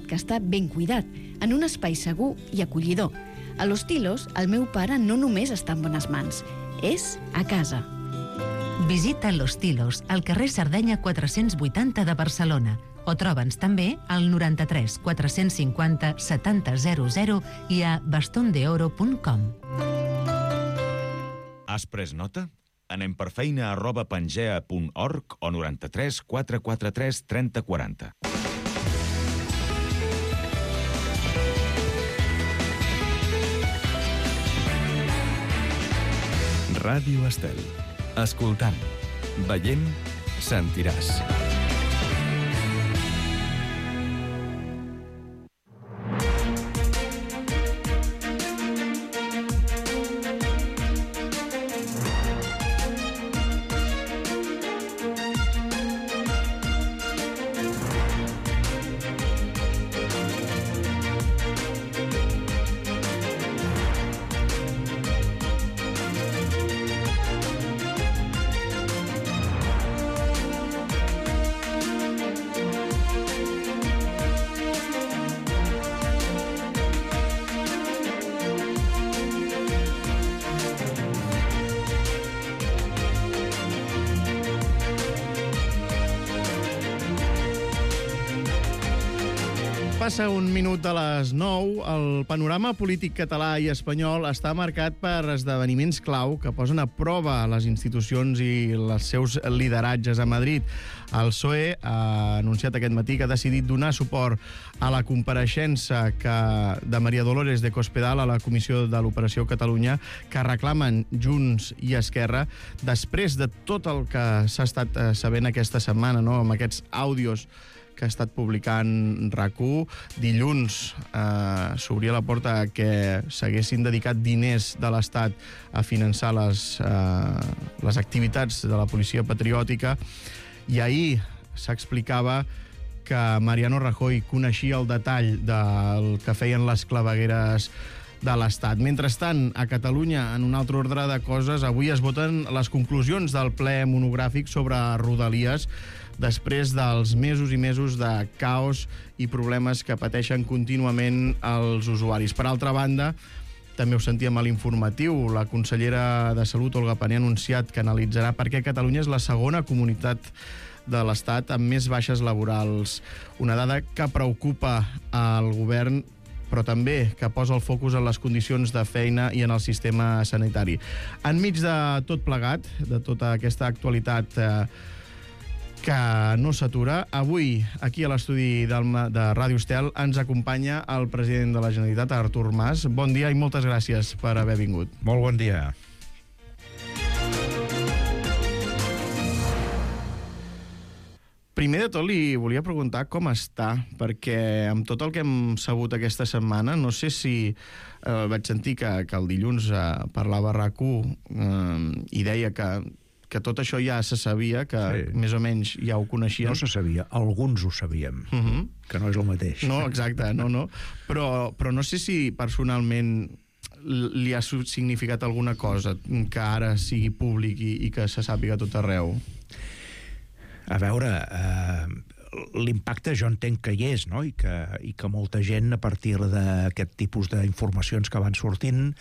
que està ben cuidat, en un espai segur i acollidor. A Los Tilos, el meu pare no només està en bones mans, és a casa. Visita Los Tilos, al carrer Sardenya 480 de Barcelona, o troba'ns també al 93 450 7000 i a bastondeoro.com. Has pres nota? Anem per feina @pangea.org o 93 443 3040. Ràdio Estel. Escoltant, veient, sentiràs. Passa un minut de les 9. El panorama polític català i espanyol està marcat per esdeveniments clau que posen a prova les institucions i els seus lideratges a Madrid. El PSOE ha anunciat aquest matí que ha decidit donar suport a la compareixença de María Dolores de Cospedal a la Comissió de l'Operació Catalunya que reclamen Junts i Esquerra després de tot el que s'ha estat sabent aquesta setmana, no? Amb aquests àudios que ha estat publicant RAC1. Dilluns s'obria la porta que s'haguessin dedicat diners de l'Estat a finançar les activitats de la policia patriòtica, i ahir s'explicava que Mariano Rajoy coneixia el detall del que feien les clavegueres de l'Estat. Mentrestant, a Catalunya, en un altre ordre de coses, avui es voten les conclusions del ple monogràfic sobre Rodalies, després dels mesos i mesos de caos i problemes que pateixen contínuament els usuaris. Per altra banda, també ho sentíem a l'informatiu, la consellera de Salut, Olga Pané, ha anunciat que analitzarà per què Catalunya és la segona comunitat de l'Estat amb més baixes laborals. Una dada que preocupa al govern, però també que posa el focus en les condicions de feina i en el sistema sanitari. Enmig de tot plegat, de tota aquesta actualitat que no s'atura, avui, aquí a l'estudi de Ràdio Estel, ens acompanya el president de la Generalitat, Artur Mas. Bon dia i moltes gràcies per haver vingut. Molt bon dia. Primer de tot, li volia preguntar com està, perquè amb tot el que hem sabut aquesta setmana, no sé si vaig sentir que el dilluns parlava RAC1 i deia que tot això ja se sabia, que sí, més o menys ja ho coneixien. No se sabia, alguns ho sabíem, que no és el mateix. No, exacte, no. Però no sé si personalment li ha significat alguna cosa que ara sigui públic i que se sàpiga tot arreu. A veure, l'impacte jo entenc que hi és, no? I que molta gent, a partir d'aquest tipus d'informacions que van sortint,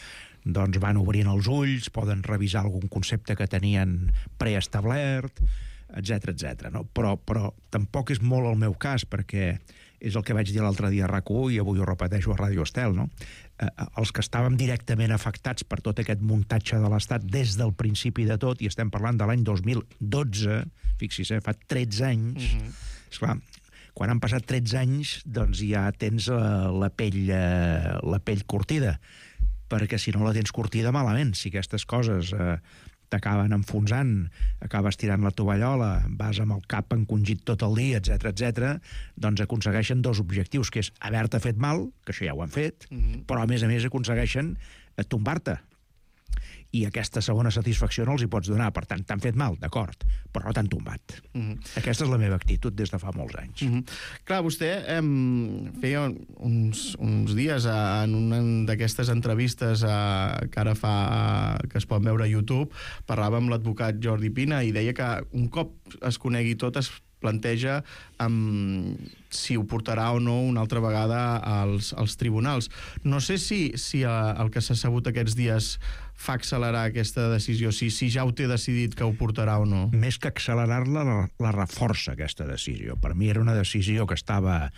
doncs van obrint els ulls, poden revisar algun concepte que tenien preestablert, etc, no? Però tampoc és molt el meu cas, perquè és el que vaig dir l'altre dia a RAC1 i avui ho repeteixo a Ràdio Estel, no? Els que estàvem directament afectats per tot aquest muntatge de l'Estat des del principi de tot, i estem parlant de l'any 2012, fixi's, fa 13 anys, esclar, quan han passat 13 anys, doncs ja tens la pell curtida, perquè si no la tens curtida malament, si aquestes coses t'acaben enfonsant, acabes tirant la tovallola, vas amb el cap encongit tot el dia, etc, doncs aconsegueixen dos objectius, que és haver-te fet mal, que això ja ho han fet, però a més aconsegueixen tombar-te. I aquesta segona satisfacció no els hi pots donar. Per tant, t'han fet mal, d'acord, però no t'han tombat. Aquesta és la meva actitud des de fa molts anys. Clar, vostè feia uns dies en una d'aquestes entrevistes que ara fa, que es pot veure a YouTube, parlava amb l'advocat Jordi Pina i deia que un cop es conegui tot es planteja si ho portarà o no una altra vegada als tribunals. No sé si el que s'ha sabut aquests dies fa accelerar aquesta decisió, si ja ho té decidit que ho portarà o no. Més que accelerar-la, la reforça, aquesta decisió. Per mi era una decisió que estava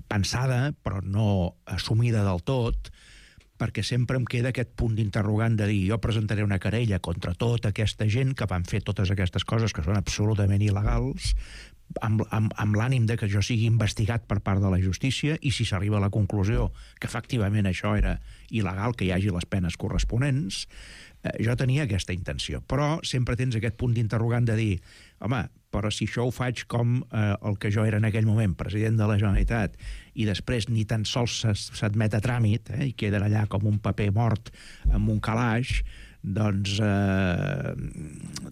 pensada, però no assumida del tot, perquè sempre em queda aquest punt d'interrogant de dir jo presentaré una querella contra tota aquesta gent que van fer totes aquestes coses que són absolutament il·legals, amb l'ànim de que jo sigui investigat per part de la justícia, i si s'arriba a la conclusió que efectivament això era il·legal, que hi hagi les penes corresponents, jo tenia aquesta intenció. Però sempre tens aquest punt d'interrogant de dir home, però si això ho faig com el que jo era en aquell moment, president de la Generalitat, i després ni tan sols s'admet a tràmit, i queden allà com un paper mort amb un calaix, doncs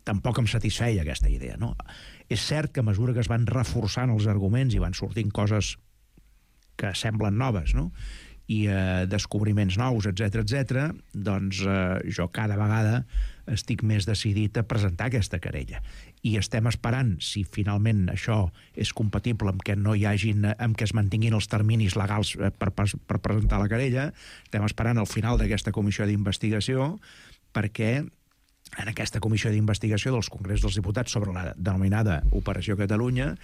tampoc em satisfeia aquesta idea, no? És cert que a mesura que es van reforçant els arguments i van sortint coses que semblen noves, no?, i descobriments nous, etc., doncs jo cada vegada estic més decidit a presentar aquesta querella. I estem esperant si finalment això és compatible amb que no hi hagin, amb que es mantinguin els terminis legals per presentar la querella. Estem esperant el final d'aquesta comissió d'investigació, perquè en aquesta comissió d'investigació dels Congrés dels Diputats sobre la denominada Operació Catalunya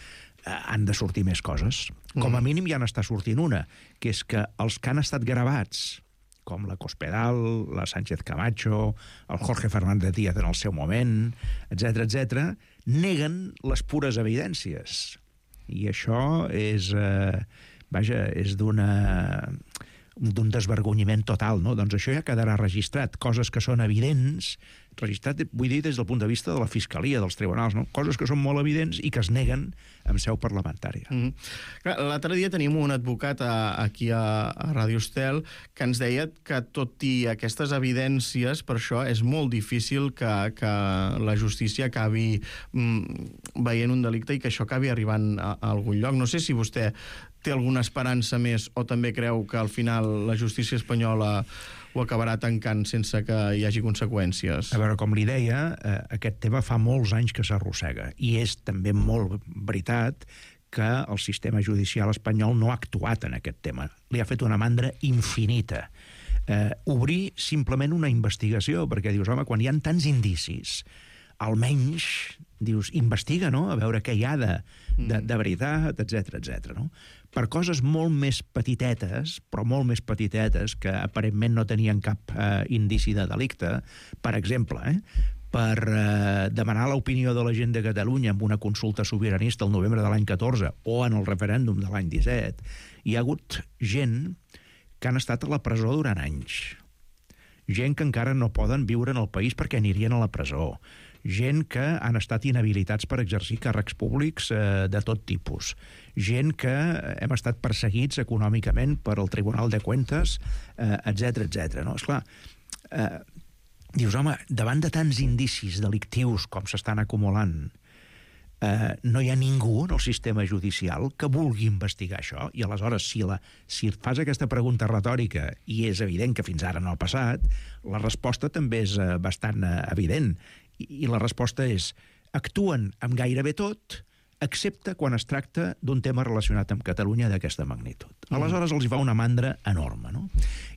han de sortir més coses. Com a mínim ja n'està sortint una, que és que els que han estat gravats, com la Cospedal, la Sánchez Camacho, el Jorge Fernández Díaz en el seu moment, etc., neguen les pures evidències. I això és, és d'un desvergonyiment total, no? Doncs això ja quedarà registrat. Coses que són evidents, registrat, vull dir, des del punt de vista de la Fiscalia, dels tribunals, no? Coses que són molt evidents i que es neguen en seu parlamentària. L'altre dia tenim un advocat aquí a Ràdio Estel que ens deia que tot i aquestes evidències, per això és molt difícil que la justícia acabi veient un delicte i que això acabi arribant a algun lloc. No sé si vostè té alguna esperança més o també creu que al final la justícia espanyola ho acabarà tancant sense que hi hagi conseqüències. A veure, com li deia, aquest tema fa molts anys que s'arrossega, i és també molt veritat que el sistema judicial espanyol no ha actuat en aquest tema. Li ha fet una mandra infinita. Obrir simplement una investigació, perquè dius, home, quan hi ha tants indicis, almenys, dius, investiga, no?, a veure què hi ha de veritat, etc., no? Per coses molt més petitetes, però molt més petitetes, que aparentment no tenien cap indici de delicte, per exemple, per demanar l'opinió de la gent de Catalunya en una consulta sobiranista el novembre de l'any 14 o en el referèndum de l'any 17, hi ha hagut gent que han estat a la presó durant anys. Gent que encara no poden viure en el país perquè anirien a la presó. Gent que han estat inhabilitats per exercir càrrecs públics de tot tipus. Gent que hem estat perseguits econòmicament per el Tribunal de Cuentas, etc., no? Esclar, dius, home, davant de tants indicis delictius com s'estan acumulant, no hi ha ningú en el sistema judicial que vulgui investigar això, i aleshores si fas aquesta pregunta retòrica i és evident que fins ara no ha passat, la resposta també és bastant evident, i la resposta és: actuen amb gairebé tot, excepte quan es tracta d'un tema relacionat amb Catalunya d'aquesta magnitud. Aleshores els hi fa una mandra enorme, no?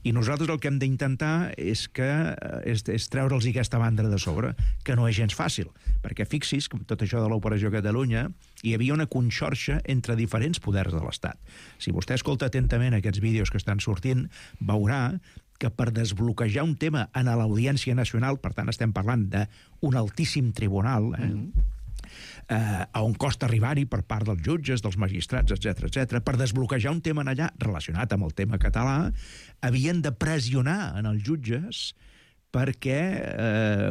I nosaltres el que hem d'intentar és treure'ls aquesta mandra de sobre, que no és gens fàcil, perquè fixi's que amb tot això de l'Operació Catalunya hi havia una conxorxa entre diferents poders de l'Estat. Si vostè escolta atentament aquests vídeos que estan sortint, veurà que per desbloquejar un tema en l'Audiència Nacional, per tant estem parlant d'un altíssim tribunal, a on costa arribar-hi per part dels jutges, dels magistrats, etc., per desbloquejar un tema allà relacionat amb el tema català, havien de pressionar en els jutges perquè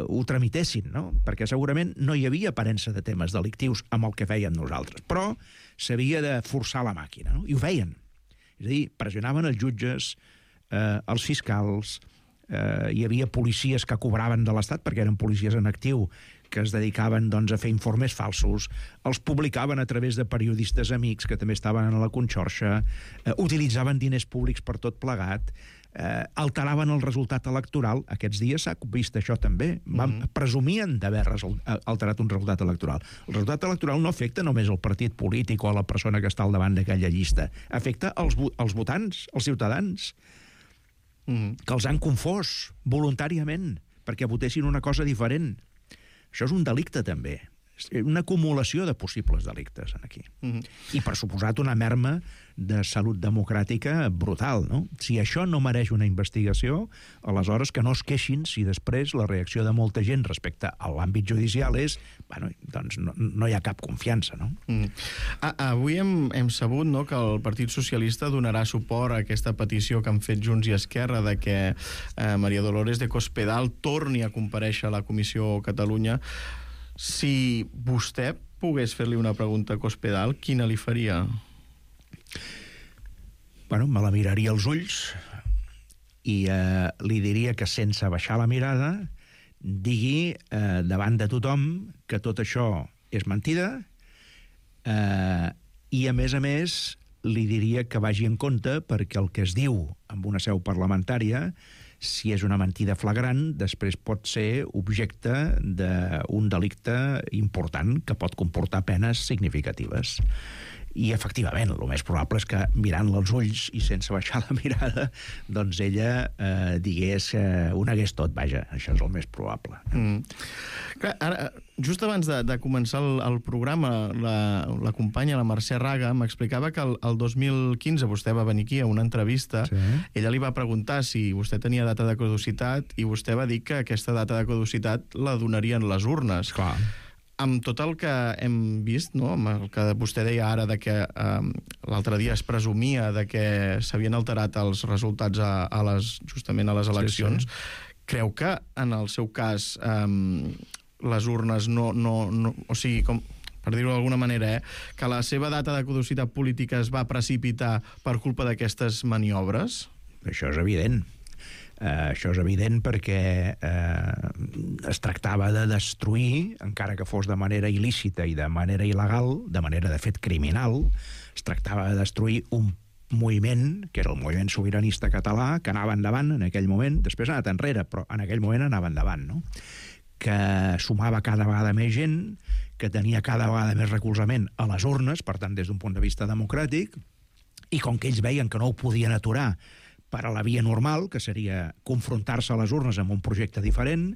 ho tramitessin, no? Perquè segurament no hi havia aparença de temes delictius amb el que fèiem nosaltres, però s'havia de forçar la màquina, no? I ho feien. És a dir, pressionaven els jutges, els fiscals, hi havia policies que cobraven de l'Estat, perquè eren policies en actiu, que es dedicaven a fer informes falsos, els publicaven a través de periodistes amics que també estaven a la conxorxa, utilitzaven diners públics per tot plegat, alteraven el resultat electoral. Aquests dies s'ha vist això també. Presumien d'haver alterat un resultat electoral. El resultat electoral no afecta només el partit polític o a la persona que està al davant d'aquella llista. Afecta els votants, els ciutadans, que els han confós voluntàriament perquè votessin una cosa diferent. Això és un delicte, també. Una acumulació de possibles delictes aquí. I, per suposat, una merma de salut democràtica brutal, no? Si això no mereix una investigació, aleshores que no es queixin si després la reacció de molta gent respecte a l'àmbit judicial és, doncs no hi ha cap confiança, no? Avui hem sabut, no, que el Partit Socialista donarà suport a aquesta petició que han fet Junts i Esquerra de que María Dolores de Cospedal torni a comparèixer a la Comissió Catalunya. Si vostè pogués fer-li una pregunta a Cospedal, quina li faria? Me la miraria als ulls i li diria que sense baixar la mirada digui davant de tothom que tot això és mentida i, a més, li diria que vagi en compte perquè el que es diu en una seu parlamentària, si és una mentida flagrant, després pot ser objecte d'un delicte important que pot comportar penes significatives. I, efectivament, el més probable és que, mirant-la als ulls i sense baixar la mirada, doncs ella digués ho negués tot, vaja. Això és el més probable. Clar, ara, just abans de començar el programa, la companya, la Mercè Raga, m'explicava que el 2015 vostè va venir aquí a una entrevista. Sí. Ella li va preguntar si vostè tenia data de caducitat i vostè va dir que aquesta data de caducitat la donarien les urnes. Clar. Amb tot el que hem vist, no? Amb el que vostè deia ara de que l'altre dia es presumia de que s'havien alterat els resultats justament a les eleccions, creu que en el seu cas les urnes no o sigui, per dir-ho d'alguna manera, que la seva data de caducitat política es va precipitar per culpa d'aquestes maniobres? Això és evident. Això és evident perquè es tractava de destruir, encara que fos de manera il·lícita i de manera il·legal, de manera de fet criminal, es tractava de destruir un moviment, que era el moviment sobiranista català, que anava endavant en aquell moment, després ha anat enrere, però en aquell moment anava endavant, no? Que sumava cada vegada més gent, que tenia cada vegada més recolzament a les urnes, per tant, des d'un punt de vista democràtic, i com que ells veien que no ho podien aturar per a la via normal, que seria confrontar-se a les urnes amb un projecte diferent,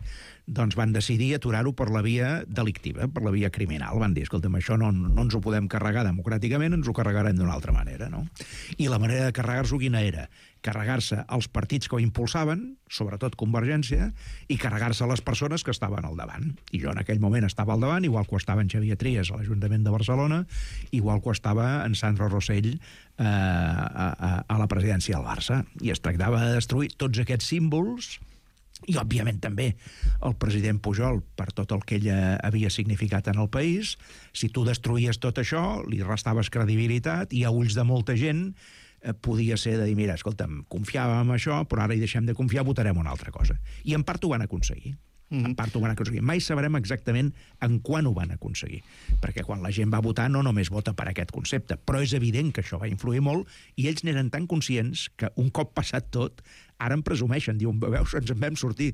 doncs van decidir aturar-ho per la via delictiva, per la via criminal. Van dir, escolta'm, això no ens ho podem carregar democràticament, ens ho carregarem d'una altra manera, no? I la manera de carregar-s'ho quina era? Carregar-se els partits que ho impulsaven, sobretot Convergència, i carregar-se les persones que estaven al davant. I jo en aquell moment estava al davant, igual que ho estava en Xavier Trias a l'Ajuntament de Barcelona, igual que ho estava en Sandro Rosell a la presidència del Barça. I es tractava de destruir tots aquests símbols i, òbviament, també el president Pujol, per tot el que ella havia significat en el país. Si tu destruïes tot això, li restaves credibilitat i a ulls de molta gent podia ser de dir, mira, escolta'm, confiàvem en això, però ara hi deixem de confiar, votarem una altra cosa. I en part ho van aconseguir. En part ho van aconseguir. Mai sabrem exactament en quan ho van aconseguir, perquè quan la gent va votar no només vota per aquest concepte, però és evident que això va influir molt i ells n'eren tan conscients que un cop passat tot, ara en presumeixen, diuen, veus, ens en vam sortir.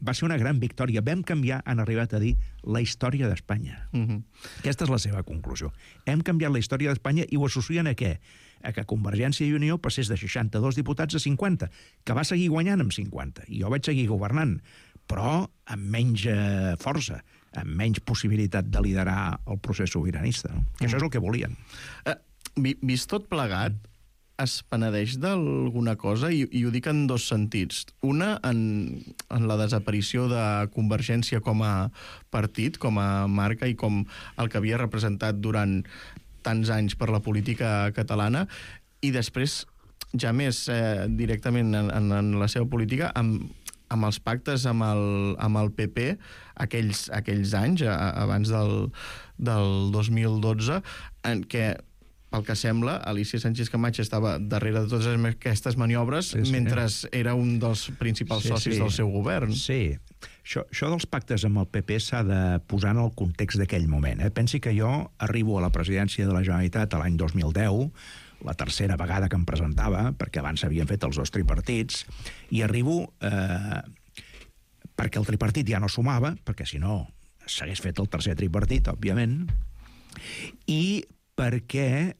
Va ser una gran victòria. Vam canviar, han arribat a dir, la història d'Espanya. Aquesta és la seva conclusió. Hem canviat la història d'Espanya i ho associen a què? A que Convergència i Unió passés de 62 diputats a 50, que va seguir guanyant amb 50, i jo vaig seguir governant, però amb menys força, amb menys possibilitat de liderar el procés sobiranista. No? Que això és el que volien. Vist tot plegat, es penedeix d'alguna cosa, i ho dic en dos sentits. Una, en la desaparició de Convergència com a partit, com a marca, i com el que havia representat durant tants anys per la política catalana, i després, ja més directament en la seva política, amb els pactes amb el PP aquells anys, abans del 2012, en què pel que sembla, Alicia Sánchez Camacho estava darrere de totes aquestes maniobres mentre era un dels principals socis del seu govern. Sí. Això dels pactes amb el PP s'ha de posar en el context d'aquell moment. Pensi que jo arribo a la presidència de la Generalitat a l'any 2010, la tercera vegada que em presentava, perquè abans s'havien fet els 2 tripartits, i arribo perquè el tripartit ja no sumava, perquè si no s'hagués fet el tercer tripartit, òbviament, i perquè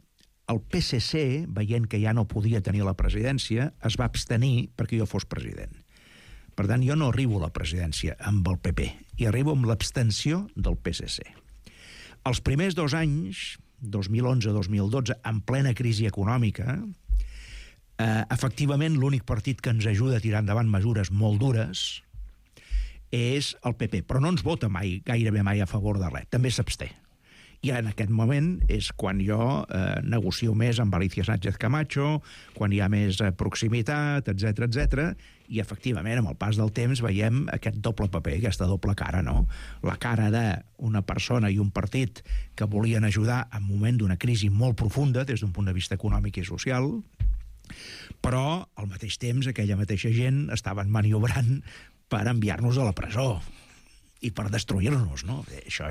el PSC, veient que ja no podia tenir la presidència, es va abstenir perquè jo fos president. Per tant, jo no arribo a la presidència amb el PP, i arribo amb l'abstenció del PSC. Els primers 2 anys, 2011-2012, en plena crisi econòmica, efectivament l'únic partit que ens ajuda a tirar endavant mesures molt dures és el PP, però no ens vota mai, gairebé mai a favor de res, també s'absté. I en aquest moment és quan jo negocio més amb Alicia Sánchez Camacho, quan hi ha més proximitat, etc, i efectivament, amb el pas del temps, veiem aquest doble paper, aquesta doble cara, no? La cara d'una persona i un partit que volien ajudar en un moment d'una crisi molt profunda des d'un punt de vista econòmic i social, però al mateix temps aquella mateixa gent estaven maniobrant per enviar-nos a la presó i per destruir-nos, no? Això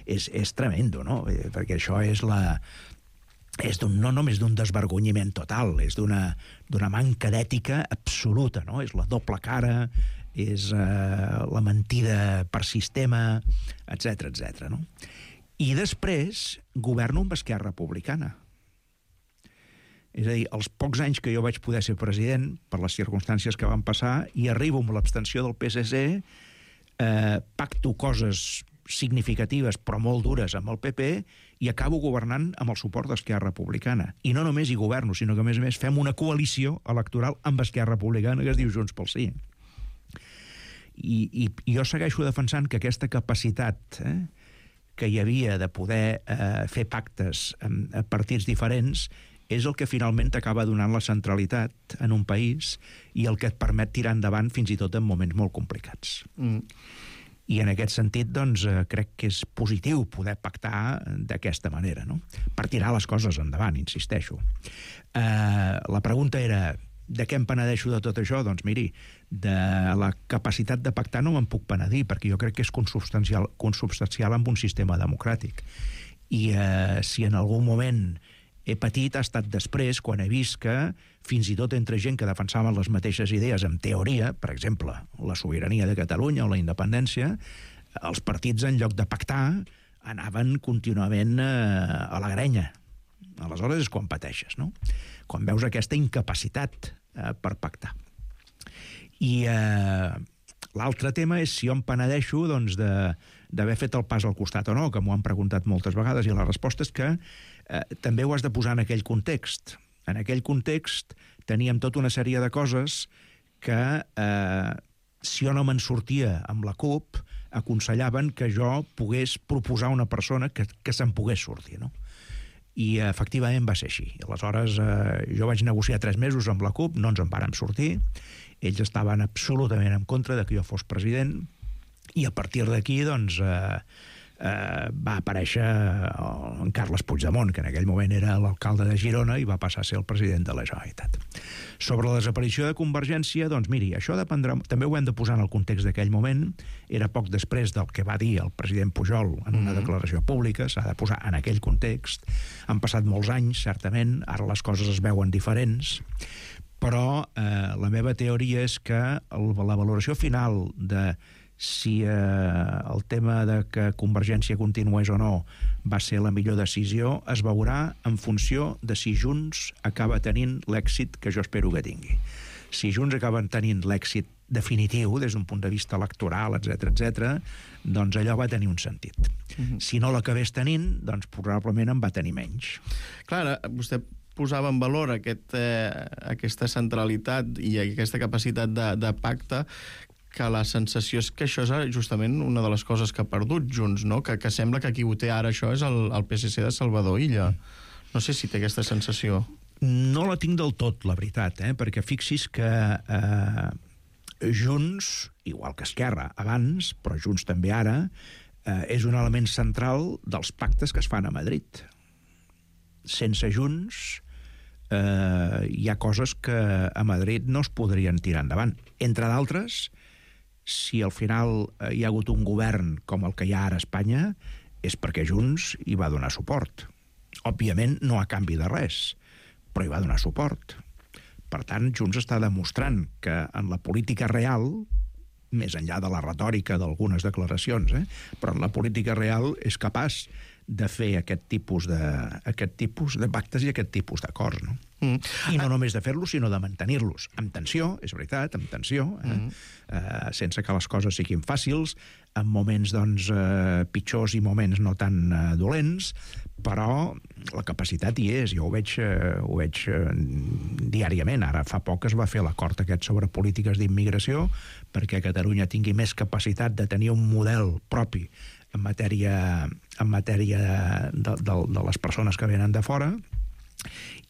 és tremendo, no? Perquè això és no només d'un desvergonyiment total, és d'una manca d'ètica absoluta, no? És la doble cara, és la mentida per sistema, etc, no? I després governo amb Esquerra Republicana. És a dir, els pocs anys que jo vaig poder ser president, per les circumstàncies que van passar, i arribo amb l'abstenció del PSC, pacto coses significatives però molt dures amb el PP i acabo governant amb el suport d'Esquerra Republicana. I no només hi governo, sinó que a més fem una coalició electoral amb Esquerra Republicana que es diu Junts pel Sí. I jo segueixo defensant que aquesta capacitat que hi havia de poder fer pactes amb partits diferents és el que finalment t'acaba donant la centralitat en un país i el que et permet tirar endavant fins i tot en moments molt complicats. I en aquest sentit, doncs, crec que és positiu poder pactar d'aquesta manera, no? Per tirar les coses endavant, insisteixo. La pregunta era, de què em penedeixo de tot això? Doncs miri, de la capacitat de pactar no me'n puc penedir, perquè jo crec que és consubstancial amb un sistema democràtic. I si en algun moment he patit, ha estat després, quan he vist que, fins i tot entre gent que defensaven les mateixes idees en teoria, per exemple, la sobirania de Catalunya o la independència, els partits, en lloc de pactar, anaven contínuament a la grenya. Aleshores és quan pateixes, no? Quan veus aquesta incapacitat per pactar. I l'altre tema és si jo em penedeixo doncs, d'haver fet el pas al costat o no, que m'ho han preguntat moltes vegades, i la resposta és que també ho has de posar en aquell context. En aquell context teníem tota una sèrie de coses que, si jo no me'n sortia amb la CUP, aconsellaven que jo pogués proposar una persona que se'n pogués sortir, no? I efectivament va ser així. Aleshores, jo vaig negociar 3 mesos amb la CUP, no ens en vàrem sortir, ells estaven absolutament en contra de que jo fos president, i a partir d'aquí, doncs, va aparèixer en Carles Puigdemont, que en aquell moment era l'alcalde de Girona i va passar a ser el president de la Generalitat. Sobre la desaparició de Convergència, doncs miri, això dependrà, també ho hem de posar en el context d'aquell moment, era poc després del que va dir el president Pujol en una declaració pública, s'ha de posar en aquell context. Han passat molts anys, certament, ara les coses es veuen diferents, però la meva teoria és que la valoració final de si el tema de que Convergència continués o no va ser la millor decisió, es veurà en funció de si Junts acaba tenint l'èxit que jo espero que tingui. Si Junts acaben tenint l'èxit definitiu des d'un punt de vista electoral, etc, doncs allò va tenir un sentit. Si no l'acabés tenint, doncs probablement en va tenir menys. Clar, vostè posava en valor aquesta centralitat i aquesta capacitat de pacte, que la sensació és que això és justament una de les coses que ha perdut Junts, no? Que sembla que qui ho té ara això és el PSC de Salvador Illa. No sé si té aquesta sensació. No la tinc del tot, la veritat, perquè fixis que Junts, igual que Esquerra abans, però Junts també ara, és un element central dels pactes que es fan a Madrid. sense Junts hi ha coses que a Madrid no es podrien tirar endavant. Entre d'altres, si al final hi ha hagut un govern com el que hi ha ara a Espanya, és perquè Junts hi va donar suport. Òbviament, no a canvi de res, però hi va donar suport. Per tant, Junts està demostrant que en la política real, més enllà de la retòrica d'algunes declaracions, però en la política real és capaç de fer aquest tipus de pactes i aquest tipus d'acords, no? I no només de fer-los, sinó de mantenir-los. Amb tensió, és veritat, amb tensió, sense que les coses siguin fàcils, en moments pitjors i moments no tan dolents, però la capacitat hi és, jo ho veig diàriament. Ara fa poc es va fer l'acord aquest sobre polítiques d'immigració perquè Catalunya tingui més capacitat de tenir un model propi en matèria de les persones que venen de fora,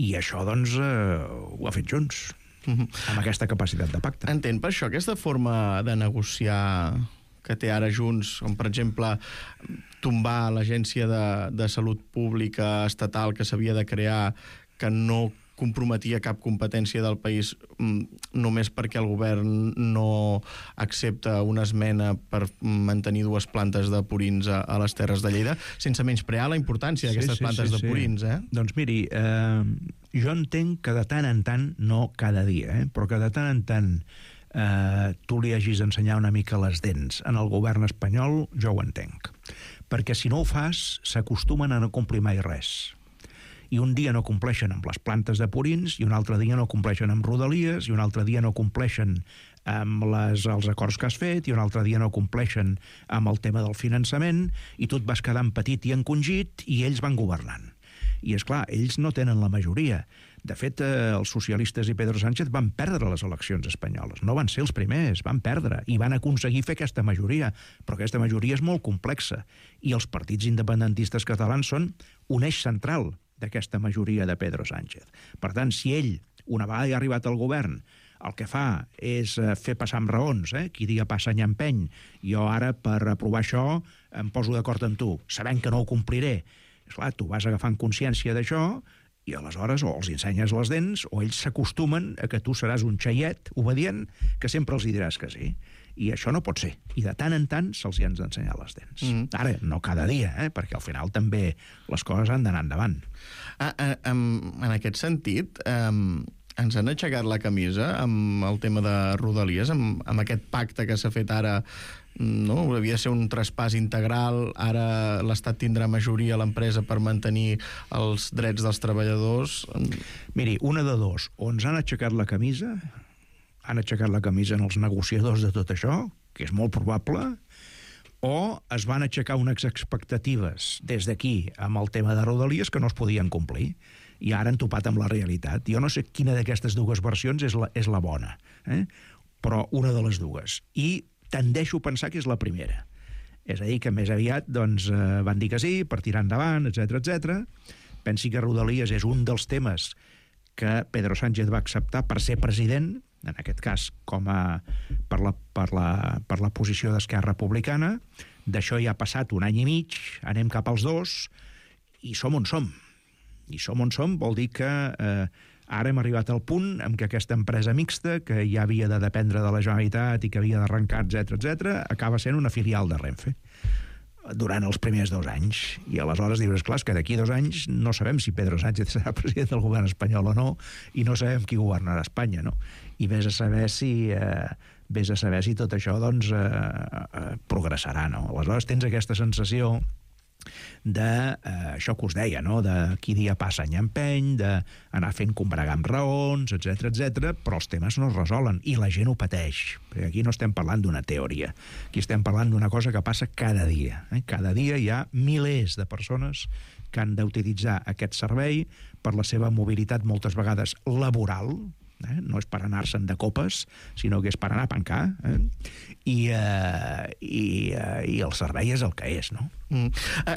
i això, doncs, ho ha fet Junts, amb aquesta capacitat de pacte. Entén per això aquesta forma de negociar que té ara Junts, com per exemple tombar l'agència de salut pública estatal que s'havia de crear, que no comprometia cap competència del país només perquè el govern no accepta una esmena per mantenir 2 plantes de purins a les Terres de Lleida, sense menysprear la importància d'aquestes plantes de purins, Doncs miri, jo entenc que de tant en tant, no cada dia, però que de tant en tant tu li hagis d'ensenyar una mica les dents en el govern espanyol, jo ho entenc. Perquè si no ho fas, s'acostumen a no complir mai res. I un dia no compleixen amb les plantes de purins, i un altre dia no compleixen amb Rodalies, i un altre dia no compleixen amb els acords que has fet, i un altre dia no compleixen amb el tema del finançament, i tu et vas quedant petit i encongit, i ells van governant. I, és clar, ells no tenen la majoria. De fet, els socialistes i Pedro Sánchez van perdre les eleccions espanyoles. No van ser els primers, van perdre, i van aconseguir fer aquesta majoria. Però aquesta majoria és molt complexa, i els partits independentistes catalans són un eix central d'aquesta majoria de Pedro Sánchez. Per tant, si ell, una vegada ha arribat al govern, el que fa és fer passar amb raons, qui dia passa any empeny, jo ara per aprovar això em poso d'acord amb tu, sabent que no ho compliré. Esclar, tu vas agafant consciència d'això i aleshores o els ensenyes les dents o ells s'acostumen a que tu seràs un xaiet obedient que sempre els hi diràs que sí. I això no pot ser. I de tant en tant se'ls hi han d'ensenyar les dents. Ara, no cada dia, perquè al final també les coses han d'anar endavant. En aquest sentit, ens han aixecat la camisa amb el tema de Rodalies, amb aquest pacte que s'ha fet ara, no? Havia de ser un traspàs integral, ara l'Estat tindrà majoria a l'empresa per mantenir els drets dels treballadors. Miri, una de dos, o ens han aixecat la camisa en els negociadors de tot això, que és molt probable, o es van aixecar unes expectatives des d'aquí amb el tema de Rodalies que no es podien complir, i ara han topat amb la realitat. Jo no sé quina d'aquestes dues versions és la bona, però una de les dues. I tendeixo a pensar que és la primera. És a dir, que més aviat van dir que sí, per tirar endavant, etc. Pensi que Rodalies és un dels temes que Pedro Sánchez va acceptar per ser president, en aquest cas per la posició d'Esquerra Republicana. D'això ja ha passat un any i mig, anem cap als 2, i som on som. I som on som vol dir que ara hem arribat al punt en què aquesta empresa mixta, que ja havia de dependre de la Generalitat i que havia d'arrencar, etc., acaba sent una filial de Renfe durant els primers 2 anys. I aleshores dius, clar, que d'aquí 2 anys no sabem si Pedro Sánchez serà president del govern espanyol o no, i no sabem qui governarà Espanya, no? I vés a saber si tot això progressarà, no? Aleshores tens aquesta sensació això que us deia, no? De qui dia passa any empeny, d'anar fent combregar amb raons, etc., però els temes no es resolen i la gent ho pateix, perquè aquí no estem parlant d'una teoria, aquí estem parlant d'una cosa que passa cada dia. Cada dia hi ha milers de persones que han d'utilitzar aquest servei per la seva mobilitat moltes vegades laboral, no és per anar-se'n de copes, sinó que és per anar a pencar, i el servei és el que és, no?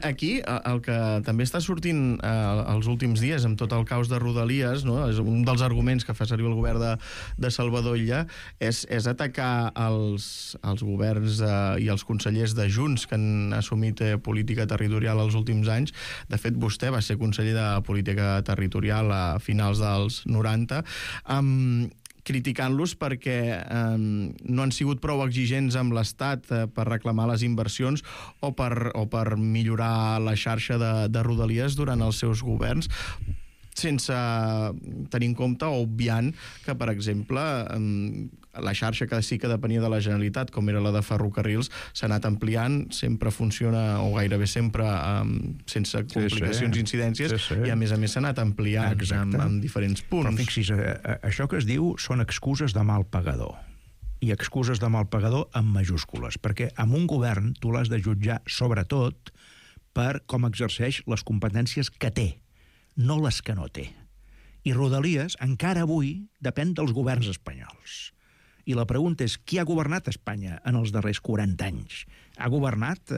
Aquí, el que també està sortint els últims dies amb tot el caos de Rodalies, no? És un dels arguments que fa servir el govern de Salvador Illa, és atacar els governs i els consellers de Junts que han assumit política territorial els últims anys. De fet, vostè va ser conseller de política territorial a finals dels 90, criticant-los perquè no han sigut prou exigents amb l'Estat per reclamar les inversions o per millorar la xarxa de Rodalies durant els seus governs, sense tenir en compte o obviant que, per exemple, la xarxa que sí que depenia de la Generalitat, com era la de ferrocarrils, s'ha anat ampliant, sempre funciona, o gairebé sempre, sense complicacions i incidències, i a més s'ha anat ampliant en diferents punts. Però fixis, això que es diu són excuses de mal pagador. I excuses de mal pagador amb majúscules, perquè amb un govern tu l'has de jutjar sobretot per com exerceix les competències que té, no les que no té. I Rodalies, encara avui, depèn dels governs espanyols. I la pregunta és, qui ha governat Espanya en els darrers 40 anys? Ha governat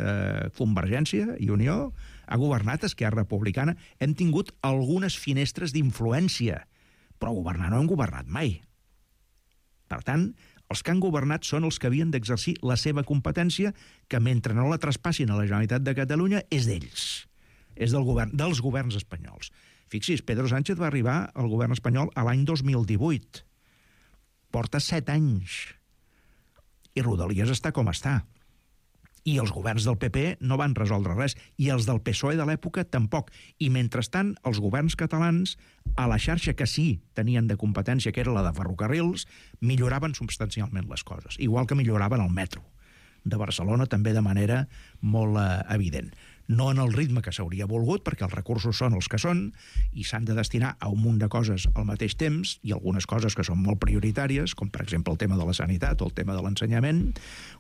Convergència i Unió? Ha governat Esquerra Republicana? Hem tingut algunes finestres d'influència, però governar no hem governat mai. Per tant, els que han governat són els que havien d'exercir la seva competència, que mentre no la traspassin a la Generalitat de Catalunya és d'ells. És dels governs espanyols. Fixis, Pedro Sánchez va arribar al govern espanyol a l'any 2018. Porta 7 anys. I Rodalies està com està. I els governs del PP no van resoldre res. I els del PSOE de l'època tampoc. I mentrestant, els governs catalans, a la xarxa que sí tenien de competència, que era la de ferrocarrils, milloraven substancialment les coses. Igual que milloraven el metro de Barcelona, també de manera molt evident. No en el ritme que s'hauria volgut, perquè els recursos són els que són i s'han de destinar a un munt de coses al mateix temps, i algunes coses que són molt prioritàries, com per exemple el tema de la sanitat o el tema de l'ensenyament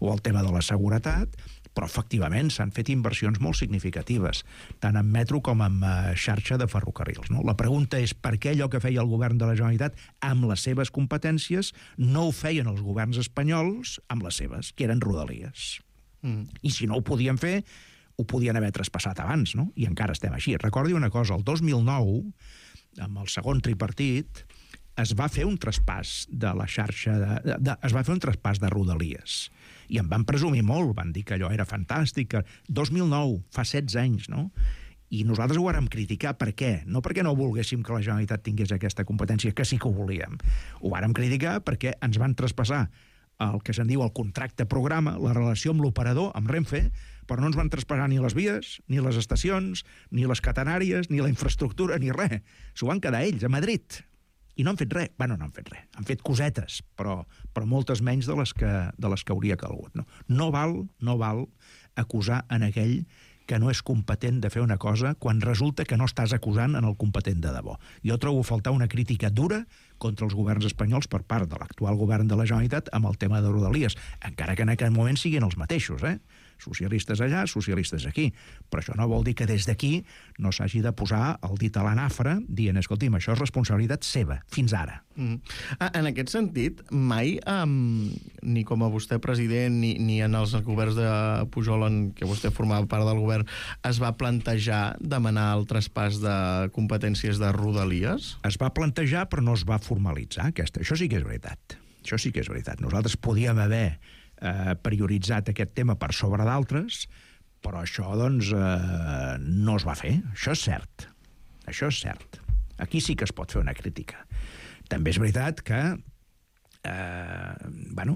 o el tema de la seguretat, però efectivament s'han fet inversions molt significatives, tant en metro com en xarxa de ferrocarrils. No? La pregunta és per què allò que feia el govern de la Generalitat amb les seves competències no ho feien els governs espanyols amb les seves, que eren Rodalies. I si no ho podien fer, ho podien haver traspassat abans, no? I encara estem així. Recordi una cosa, el 2009, amb el segon tripartit, es va fer un traspàs de la xarxa es va fer un traspàs de Rodalies. I en van presumir molt, van dir que allò era fantàstic. 2009, fa 16 anys, no? I nosaltres ho vàrem criticar. Per què? No perquè no volguéssim que la Generalitat tingués aquesta competència, que sí que ho volíem. Ho vàrem criticar perquè ens van traspassar el que se'n diu el contracte programa, la relació amb l'operador, amb Renfe, però no ens van traspassar ni les vies, ni les estacions, ni les catenàries, ni la infraestructura, ni res. S'ho van quedar ells, a Madrid. I no han fet res. Bueno, no han fet res. Han fet cosetes, però moltes menys de les que hauria calgut. No val acusar en aquell que no és competent de fer una cosa quan resulta que no estàs acusant en el competent de debò. Jo trobo a faltar una crítica dura contra els governs espanyols per part de l'actual govern de la Generalitat amb el tema de Rodalies, encara que en aquest moment siguin els mateixos, socialistes allà, socialistes aquí. Però això no vol dir que des d'aquí no s'hagi de posar el dit a la nafra dient, escolti'm, això és responsabilitat seva, fins ara. En aquest sentit, mai, ni com a vostè president, ni en els governs de Pujol en què vostè formava part del govern, es va plantejar demanar el traspàs de competències de Rodalies? Es va plantejar, però no es va formalitzar, aquesta. Això sí que és veritat. Això sí que és veritat. Nosaltres podíem haver prioritzat aquest tema per sobre d'altres, però això, doncs, no es va fer. Això és cert. Això és cert. Aquí sí que es pot fer una crítica. També és veritat que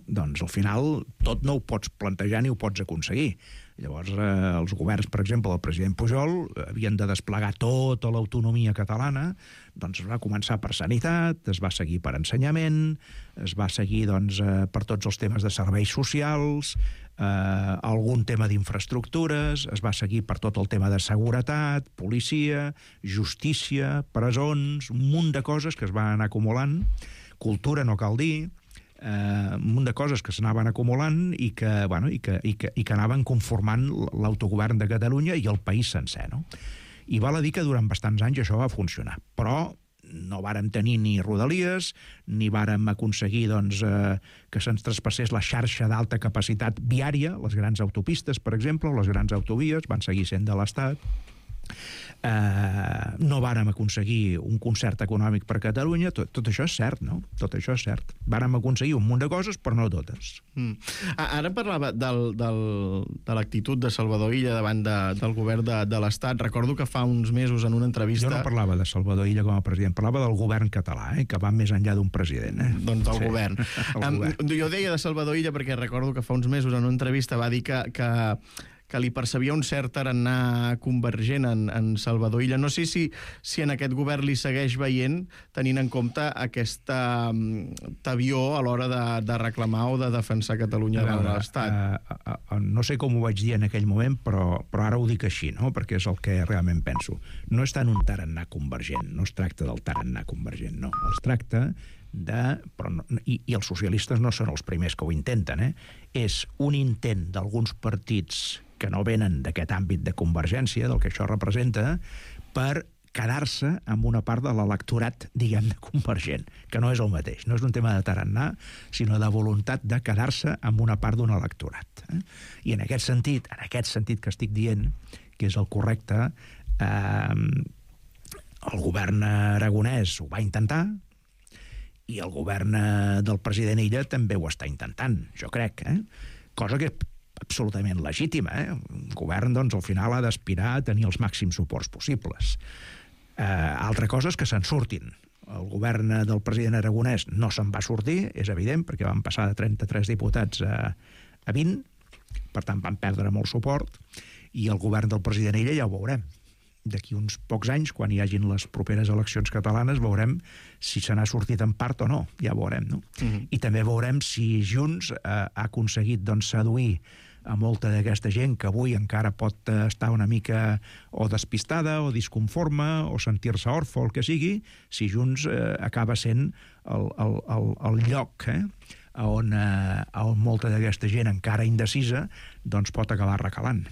doncs al final tot no ho pots plantejar ni ho pots aconseguir. Llavors, els governs, per exemple, el president Pujol, havien de desplegar tota l'autonomia catalana, doncs es va començar per sanitat, es va seguir per ensenyament, es va seguir per tots els temes de serveis socials, algun tema d'infraestructures, es va seguir per tot el tema de seguretat, policia, justícia, presons, un munt de coses que es van anar acumulant, cultura no cal dir, un munt de coses que s'anaven acumulant i que anaven conformant l'autogovern de Catalunya i el país sencer, no? I val a dir que durant bastants anys això va funcionar, però no vàrem tenir ni rodalies, ni vàrem aconseguir que se'ns traspassés la xarxa d'alta capacitat viària, les grans autopistes, per exemple, o les grans autovies, van seguir sent de l'Estat. No vàrem aconseguir un concert econòmic per Catalunya. Tot això és cert, no? Tot això és cert. Vàrem aconseguir un munt de coses, però no totes. Ara parlava de l'actitud de Salvador Illa davant del govern de l'Estat. Recordo que fa uns mesos en una entrevista... Jo no parlava de Salvador Illa com a president, parlava del govern català, que va més enllà d'un president. Doncs del govern. Jo deia de Salvador Illa perquè recordo que fa uns mesos en una entrevista va dir que li percebia un cert tarannà convergent en Salvador Illa. No sé si en aquest govern li segueix veient, tenint en compte aquesta tavió a l'hora de reclamar o de defensar Catalunya davant de l'Estat. No sé com ho vaig dir en aquell moment, però ara ho dic així, no? Perquè és el que realment penso. No és tant un tarannà convergent, no es tracta del tarannà convergent, no. Es tracta i els socialistes no són els primers que ho intenten, és un intent d'alguns partits que no venen d'aquest àmbit de convergència, del que això representa, per quedar-se amb una part de l'electorat, diguem-ne, convergent, que no és el mateix. No és un tema de tarannà, sinó de voluntat de quedar-se amb una part d'un electorat. I en aquest sentit que estic dient, que és el correcte, el govern aragonès ho va intentar, i el govern del president Illa també ho està intentant, jo crec, cosa que és absolutament legítima. Un govern, doncs, al final ha d'aspirar a tenir els màxims suports possibles. Altra cosa és que se'n surtin. El govern del president aragonès no se'n va sortir, és evident, perquè van passar de 33 diputats a 20, per tant van perdre molt suport, i el govern del president Illa ja ho veurem. D'aquí uns pocs anys, quan hi hagin les properes eleccions catalanes, veurem si se n'ha sortit en part o no, ja ho veurem, no? I també veurem si Junts ha aconseguit seduir a molta d'aquesta gent que avui encara pot estar una mica o despistada o disconforme o sentir-se orfe o el que sigui, si Junts acaba sent el lloc on molta d'aquesta gent encara indecisa doncs pot acabar recalant.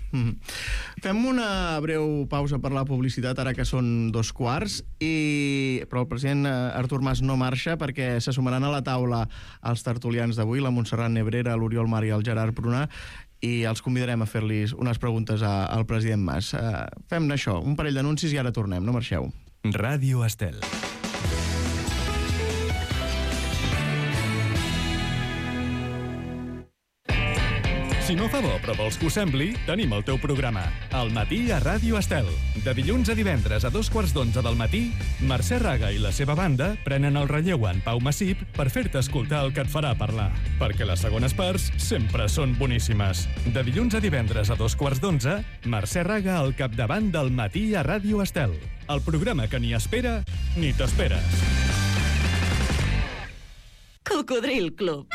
Fem una breu pausa per la publicitat ara que són 2:15, però el president Artur Mas no marxa perquè se sumaran a la taula els tertulians d'avui, la Montserrat Nebrera, l'Oriol Mar i el Gerard Prunar, i els convidarem a fer-li unes preguntes al president Mas. Fem això, un parell d'anuncis i ara tornem, no marxeu. Ràdio Estel. Si no fa bo però vols que ho sembli, tenim el teu programa. Al matí a Ràdio Estel. De dilluns a divendres a 2:15 del matí, Mercè Raga i la seva banda prenen el relleu en Pau Massip per fer-te escoltar el que et farà parlar. Perquè les segones parts sempre són boníssimes. De dilluns a divendres a 2:15, Mercè Raga al capdavant del matí a Ràdio Estel. El programa que ni espera ni t'esperes. Cocodril Club.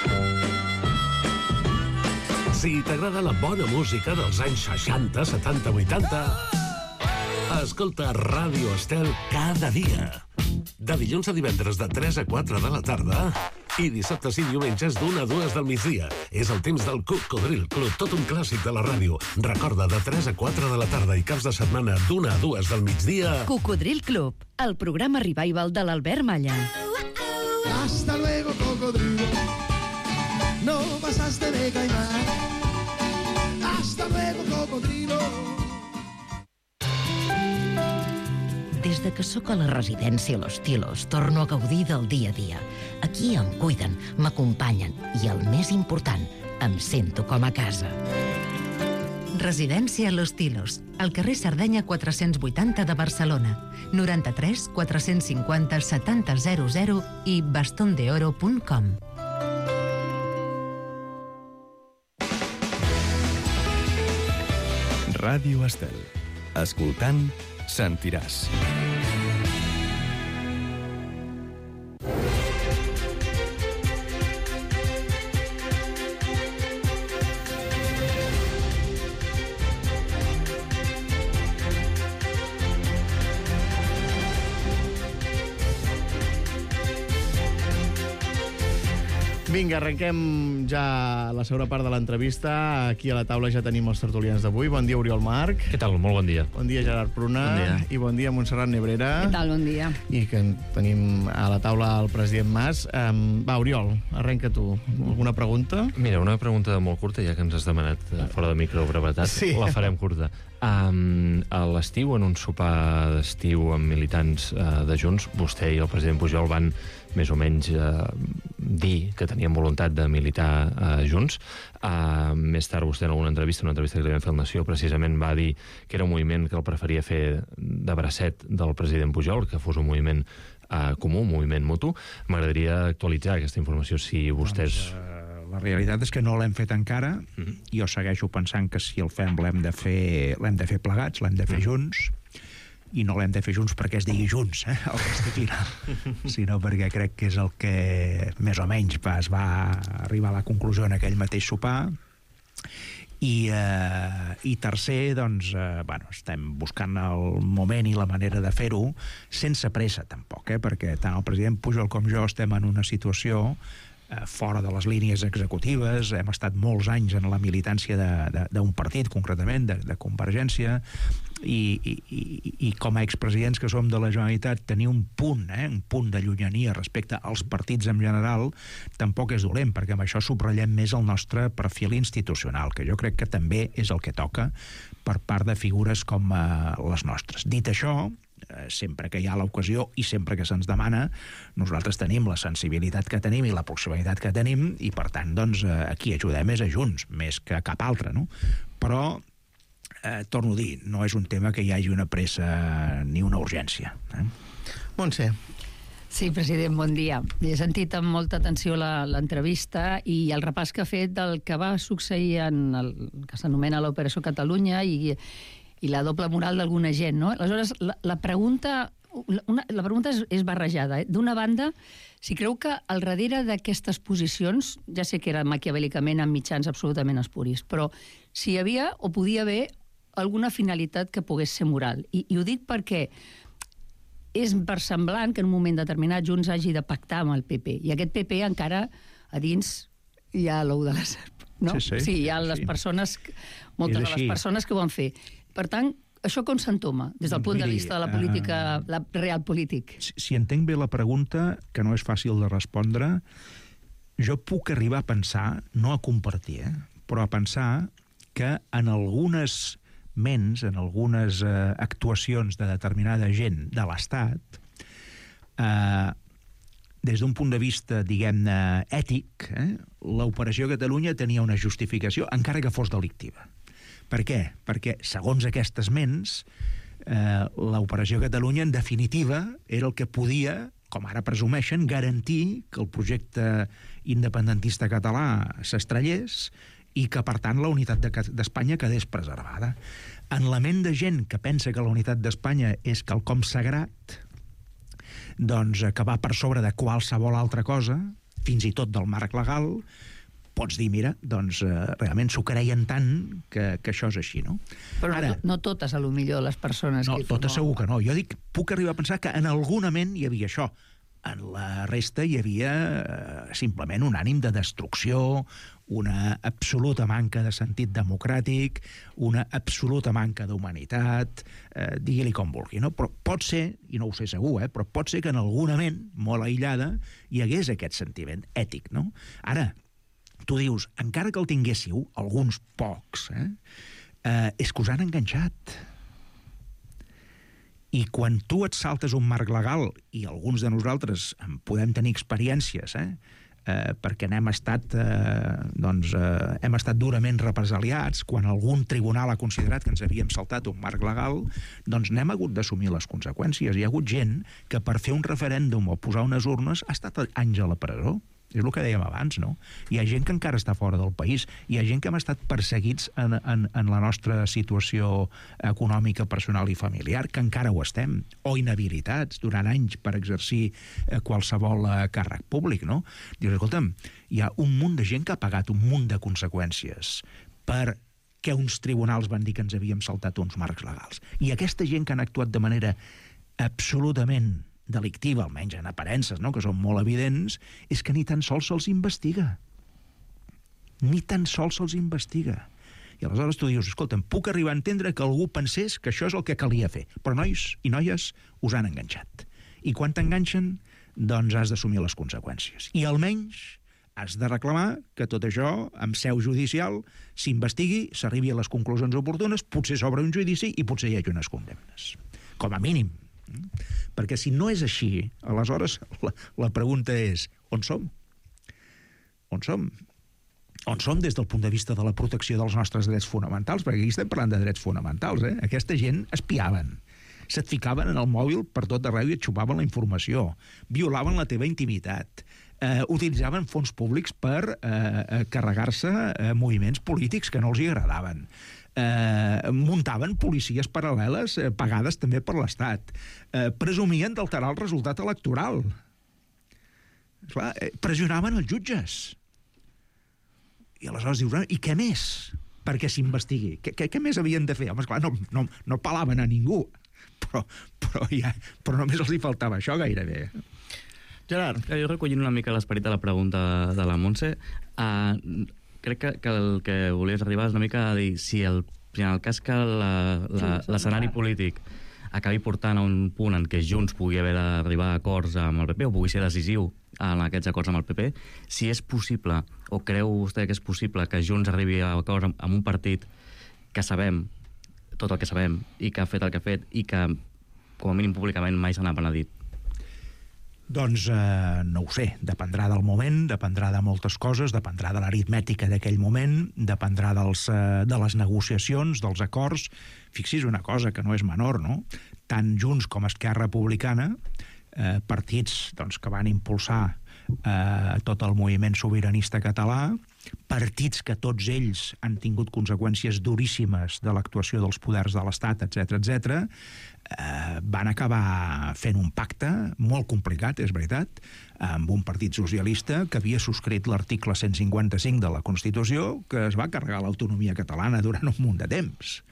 Si t'agrada la bona música dels anys 60, 70, 80, escolta Ràdio Estel cada dia. De dilluns a divendres de 3 a 4 de la tarda i dissabtes i diumenges d'1 a 2 del migdia. És el temps del Cocodril Club, tot un clàssic de la ràdio. Recorda, de 3 a 4 de la tarda i caps de setmana d'1 a 2 del migdia. Cocodril Club, el programa revival de l'Albert Malla. Hasta luego, cocodrilo. No pasaste de caimán. Hasta luego, cocodrilo. Des de que sóc a la residència Los Tilos, torno a gaudir del dia a dia. Aquí em cuiden, m'acompanyen i, el més important, em sento com a casa. Residència Los Tilos, al carrer Sardenya 480 de Barcelona, 93 450 7000 i bastondeoro.com. Ràdio Estel. Escoltant, sentiràs. Vinga, arrenquem ja la segona part de l'entrevista. Aquí a la taula ja tenim els tertulians d'avui. Bon dia, Oriol Marc. Què tal? Molt bon dia. Bon dia, Gerard Pruna. Bon dia. I bon dia, Montserrat Nebrera. Què tal? Bon dia. I que tenim a la taula el president Mas. Va, Oriol, arrenca tu. Alguna pregunta? Mira, una pregunta molt curta, ja que ens has demanat fora de micro brevetat. Sí. La farem curta. A l'estiu, en un sopar d'estiu amb militants de Junts, vostè i el president Pujol van més o menys dir que tenien voluntat de militar Junts. Més tard vostè en una entrevista que li vam fer al Nació, precisament va dir que era un moviment que el preferia fer de bracet del president Pujol, que fos un moviment comú, un moviment mutu. M'agradaria actualitzar aquesta informació si vostès... La realitat és que no l'hem fet encara. Jo segueixo pensant que si el fem l'hem de fer plegats, l'hem de fer junts, i no l'hem de fer junts perquè es digui junts, el resti final, sinó perquè crec que és el que més o menys es va arribar a la conclusió en aquell mateix sopar. I tercer, doncs, estem buscant el moment i la manera de fer-ho sense pressa, tampoc, perquè tant el president Pujol com jo estem en una situació fora de les línies executives, hem estat molts anys en la militància d'un partit, concretament, de Convergència, i com a expresidents que som de la Generalitat, tenir un punt de llunyania respecte als partits en general, tampoc és dolent, perquè amb això subratllem més el nostre perfil institucional, que jo crec que també és el que toca per part de figures com les nostres. Dit això, sempre que hi ha l'ocasió i sempre que se'ns demana, nosaltres tenim la sensibilitat que tenim i la proximitat que tenim, i per tant, doncs, aquí ajudem és a Junts, més que cap altre, no? Però, torno a dir, no és un tema que hi hagi una pressa ni una urgència. Montse. Sí, president, bon dia. He sentit amb molta atenció l'entrevista i el repàs que ha fet del que va succeir en el que s'anomena l'Operació Catalunya i la doble moral d'alguna gent, no? Aleshores, la pregunta és barrejada. D'una banda, si creu que al darrere d'aquestes posicions, ja sé que era maquiavèlicament amb mitjans absolutament espuris, però si hi havia o podia haver alguna finalitat que pogués ser moral. I ho dic perquè és versemblant que en un moment determinat Junts hagi de pactar amb el PP, i aquest PP encara a dins hi ha l'ou de la serp, no? Sí, hi ha les persones, moltes de les persones que ho van fer. Per tant, això com s'entoma, des del punt de vista de la política, la real polític? Si entenc bé la pregunta, que no és fàcil de respondre, jo puc arribar a pensar, no a compartir, però a pensar que en algunes ments, en algunes actuacions de determinada gent de l'Estat, des d'un punt de vista, diguem-ne, ètic, l'Operació Catalunya tenia una justificació, encara que fos delictiva. Per què? Perquè, segons aquestes ments, l'Operació Catalunya, en definitiva, era el que podia, com ara presumeixen, garantir que el projecte independentista català s'estrellés i que, per tant, la unitat d'Espanya quedés preservada. En la ment de gent que pensa que la unitat d'Espanya és quelcom sagrat, doncs que va per sobre de qualsevol altra cosa, fins i tot del marc legal, pots dir, mira, doncs realment s'ho creien tant que això és així, no? Però ara, no totes, a lo millor, les persones... No, totes segur que no. Jo dic, puc arribar a pensar que en alguna ment hi havia això. En la resta hi havia simplement un ànim de destrucció, una absoluta manca de sentit democràtic, una absoluta manca d'humanitat, digui-li com vulgui, no? Però pot ser, i no ho sé segur, però pot ser que en alguna ment, molt aïllada, hi hagués aquest sentiment ètic, no? Ara, tu dius, encara que el tinguéssiu, alguns pocs, és que us han enganxat. I quan tu et saltes un marc legal, i alguns de nosaltres en podem tenir experiències, perquè hem estat durament represaliats, quan algun tribunal ha considerat que ens havíem saltat un marc legal, doncs n'hem hagut d'assumir les conseqüències. Hi ha hagut gent que per fer un referèndum o posar unes urnes ha estat anys a la presó. És el que dèiem abans, no? Hi ha gent que encara està fora del país, hi ha gent que hem estat perseguits en la nostra situació econòmica, personal i familiar, que encara ho estem, o inhabilitats durant anys per exercir qualsevol càrrec públic, no? Dius, escolta'm, hi ha un munt de gent que ha pagat un munt de conseqüències perquè uns tribunals van dir que ens havíem saltat uns marcs legals. I aquesta gent que han actuat de manera absolutament delictiva, almenys en aparences, no?, que són molt evidents, és que ni tan sols se'ls investiga. Ni tan sols se'ls investiga. I aleshores tu dius, escolta'm, puc arribar a entendre que algú pensés que això és el que calia fer, però nois i noies us han enganxat. I quan t'enganxen, doncs has d'assumir les conseqüències. I almenys has de reclamar que tot això, amb seu judicial, s'investigui, s'arribi a les conclusions oportunes, potser s'obre un judici i potser hi hagi unes condemnes. Com a mínim. Perquè si no és així, aleshores la pregunta és, on som? On som? On som des del punt de vista de la protecció dels nostres drets fonamentals? Perquè aquí estem parlant de drets fonamentals, eh? Aquesta gent espiaven, se't ficaven en el mòbil per tot arreu i et xupaven la informació, violaven la teva intimitat, utilitzaven fons públics per carregar-se moviments polítics que no els hi agradaven, muntaven policies paral·leles pagades també per l'Estat, presumien d'alterar el resultat electoral. Clar, pressionaven els jutges. I aleshores dius, i què més perquè s'investigui? Què més havien de fer? Home, esclar, no palaven a ningú, però només els hi faltava això gairebé. Gerard. Jo recollint una mica l'esperit de la pregunta de la Montse, crec que el que volies arribar és una mica a dir si en el cas que l'escenari polític acabi portant a un punt en què Junts pugui haver d'arribar a acords amb el PP o pugui ser decisiu en aquests acords amb el PP, si és possible, o creu vostè que és possible que Junts arribi a acords amb un partit que sabem tot el que sabem i que ha fet el que ha fet i que, com a mínim públicament, mai se n'ha penedit? Doncs no ho sé, dependrà del moment, dependrà de moltes coses, dependrà de l'aritmètica d'aquell moment, dependrà de les negociacions, dels acords. Fixi's una cosa que no és menor, no? Tant Junts com Esquerra Republicana, partits doncs, que van impulsar tot el moviment sobiranista català, partits que tots ells han tingut conseqüències duríssimes de l'actuació dels poders de l'Estat, etc., van acabar fent un pacte molt complicat, és veritat, amb un partit socialista que havia subscrit l'article 155 de la Constitució, que es va carregar l'autonomia catalana durant un munt de temps.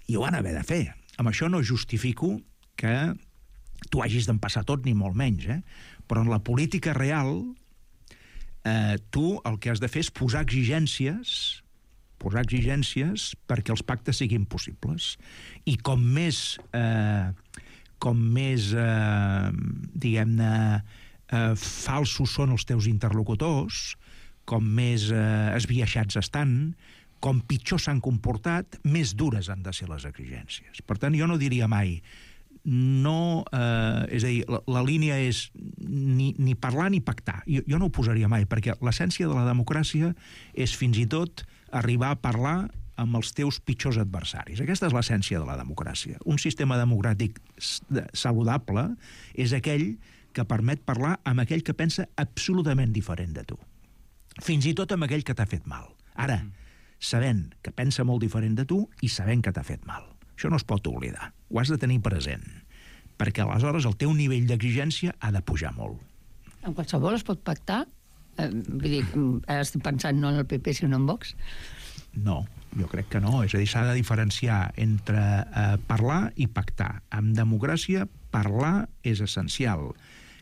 I ho van haver de fer. Amb això no justifico que tu hagis d'empassar tot, ni molt menys, però en la política real tu el que has de fer és posar exigències perquè els pactes siguin possibles. I com més diguem-ne, falsos són els teus interlocutors, com més esbiaixats estan, com pitjor s'han comportat, més dures han de ser les exigències. Per tant, jo no diria mai és a dir, la línia és ni parlar ni pactar. Jo no ho posaria mai, perquè l'essència de la democràcia és fins i tot arribar a parlar amb els teus pitjors adversaris. Aquesta és l'essència de la democràcia. Un sistema democràtic saludable és aquell que permet parlar amb aquell que pensa absolutament diferent de tu. Fins i tot amb aquell que t'ha fet mal. Ara, sabent que pensa molt diferent de tu i sabent que t'ha fet mal. Això no es pot oblidar. Ho has de tenir present. Perquè aleshores el teu nivell d'exigència ha de pujar molt. En qualsevol es pot pactar? Vull dir, ara estic pensant no en el PP sinó en Vox? No, jo crec que no. És a dir, s'ha de diferenciar entre parlar i pactar. En democràcia, parlar és essencial.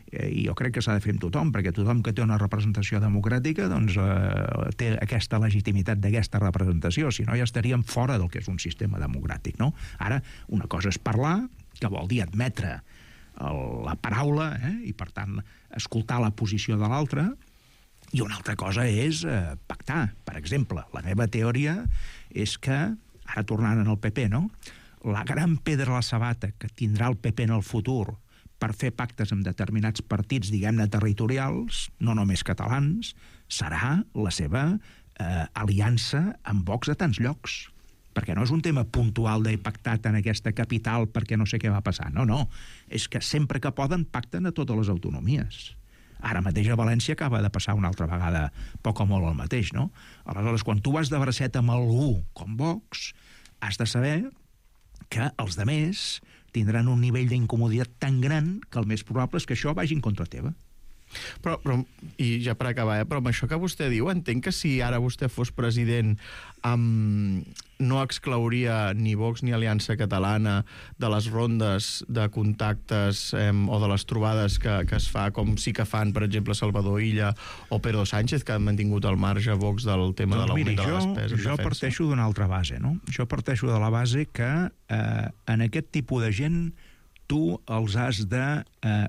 I jo crec que s'ha de fer amb tothom, perquè tothom que té una representació democràtica doncs, té aquesta legitimitat d'aquesta representació, si no ja estaríem fora del que és un sistema democràtic, no? Ara, una cosa és parlar, que vol dir admetre la paraula, i per tant escoltar la posició de l'altre, i una altra cosa és pactar. Per exemple, la meva teoria és que, ara tornant al PP, no? La gran pedra a la sabata que tindrà el PP en el futur per fer pactes amb determinats partits, diguem-ne, territorials, no només catalans, serà la seva aliança amb Vox a tants llocs. Perquè no és un tema puntual d'he pactat en aquesta capital perquè no sé què va passar. No. És que sempre que poden pacten a totes les autonomies. Ara mateix a València acaba de passar una altra vegada poc o molt el mateix, no? Aleshores, quan tu vas de bracet amb algú com Vox, has de saber que els demés tindran un nivell d'incomoditat tan gran que el més probable és que això vagi en contra teva. Però, i ja per acabar, però amb això que vostè diu, entenc que si ara vostè fos president no exclouria ni Vox ni Aliança Catalana de les rondes de contactes o de les trobades que es fa, com sí que fan, per exemple, Salvador Illa o Pedro Sánchez, que han mantingut al marge Vox del tema de l'augment de la despesa. Jo parteixo d'una altra base, no? Jo parteixo de la base que en aquest tipus de gent tu els has de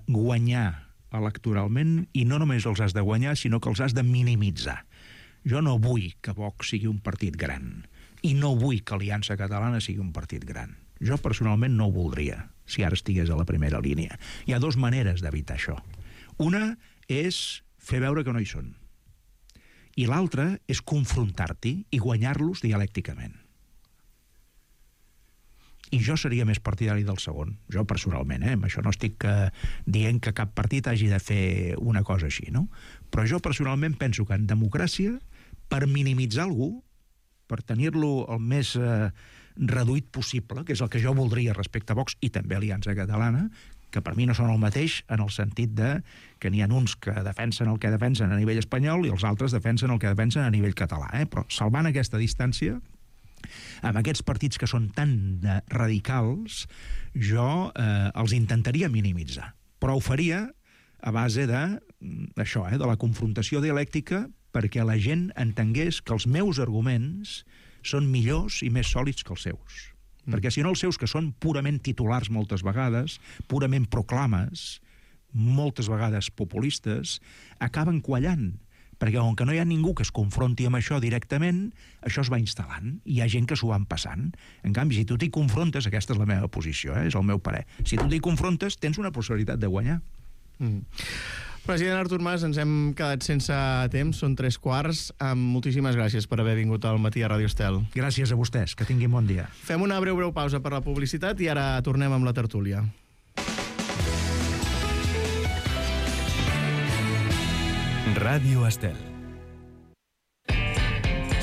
guanyar electoralment, i no només els has de guanyar, sinó que els has de minimitzar. Jo no vull que Vox sigui un partit gran, i no vull que Aliança Catalana sigui un partit gran. Jo personalment no ho voldria, si ara estigués a la primera línia. Hi ha dues maneres d'evitar això. Una és fer veure que no hi són, i l'altra és confrontar-t'hi i guanyar-los dialècticament. I jo seria més partidari del segon, jo personalment, amb això no estic dient que cap partit hagi de fer una cosa així, no? Però jo personalment penso que en democràcia, per minimitzar algú, per tenir-lo el més reduït possible, que és el que jo voldria respecte a Vox i també a Aliança Catalana, que per mi no són el mateix en el sentit de que n'hi ha uns que defensen el que defensen a nivell espanyol i els altres defensen el que defensen a nivell català, però salvant aquesta distància, amb aquests partits que són tan radicals, jo els intentaria minimitzar. Però ho faria a base d'això, de la confrontació dialèctica, perquè la gent entengués que els meus arguments són millors i més sòlids que els seus. Perquè si no, els seus, que són purament titulars moltes vegades, purament proclames, moltes vegades populistes, acaben quallant. Perquè com que no hi ha ningú que es confronti amb això directament, això es va instal·lant, i hi ha gent que s'ho van passant. En canvi, si tu t'hi confrontes, aquesta és la meva posició, és el meu parer, si tu t'hi confrontes, tens una possibilitat de guanyar. President Artur Mas, ens hem quedat sense temps, són 3:15. Moltíssimes gràcies per haver vingut al Matí a Ràdio Estel. Gràcies a vostès, que tinguin bon dia. Fem una breu pausa per la publicitat i ara tornem amb la tertúlia. Ràdio Estel.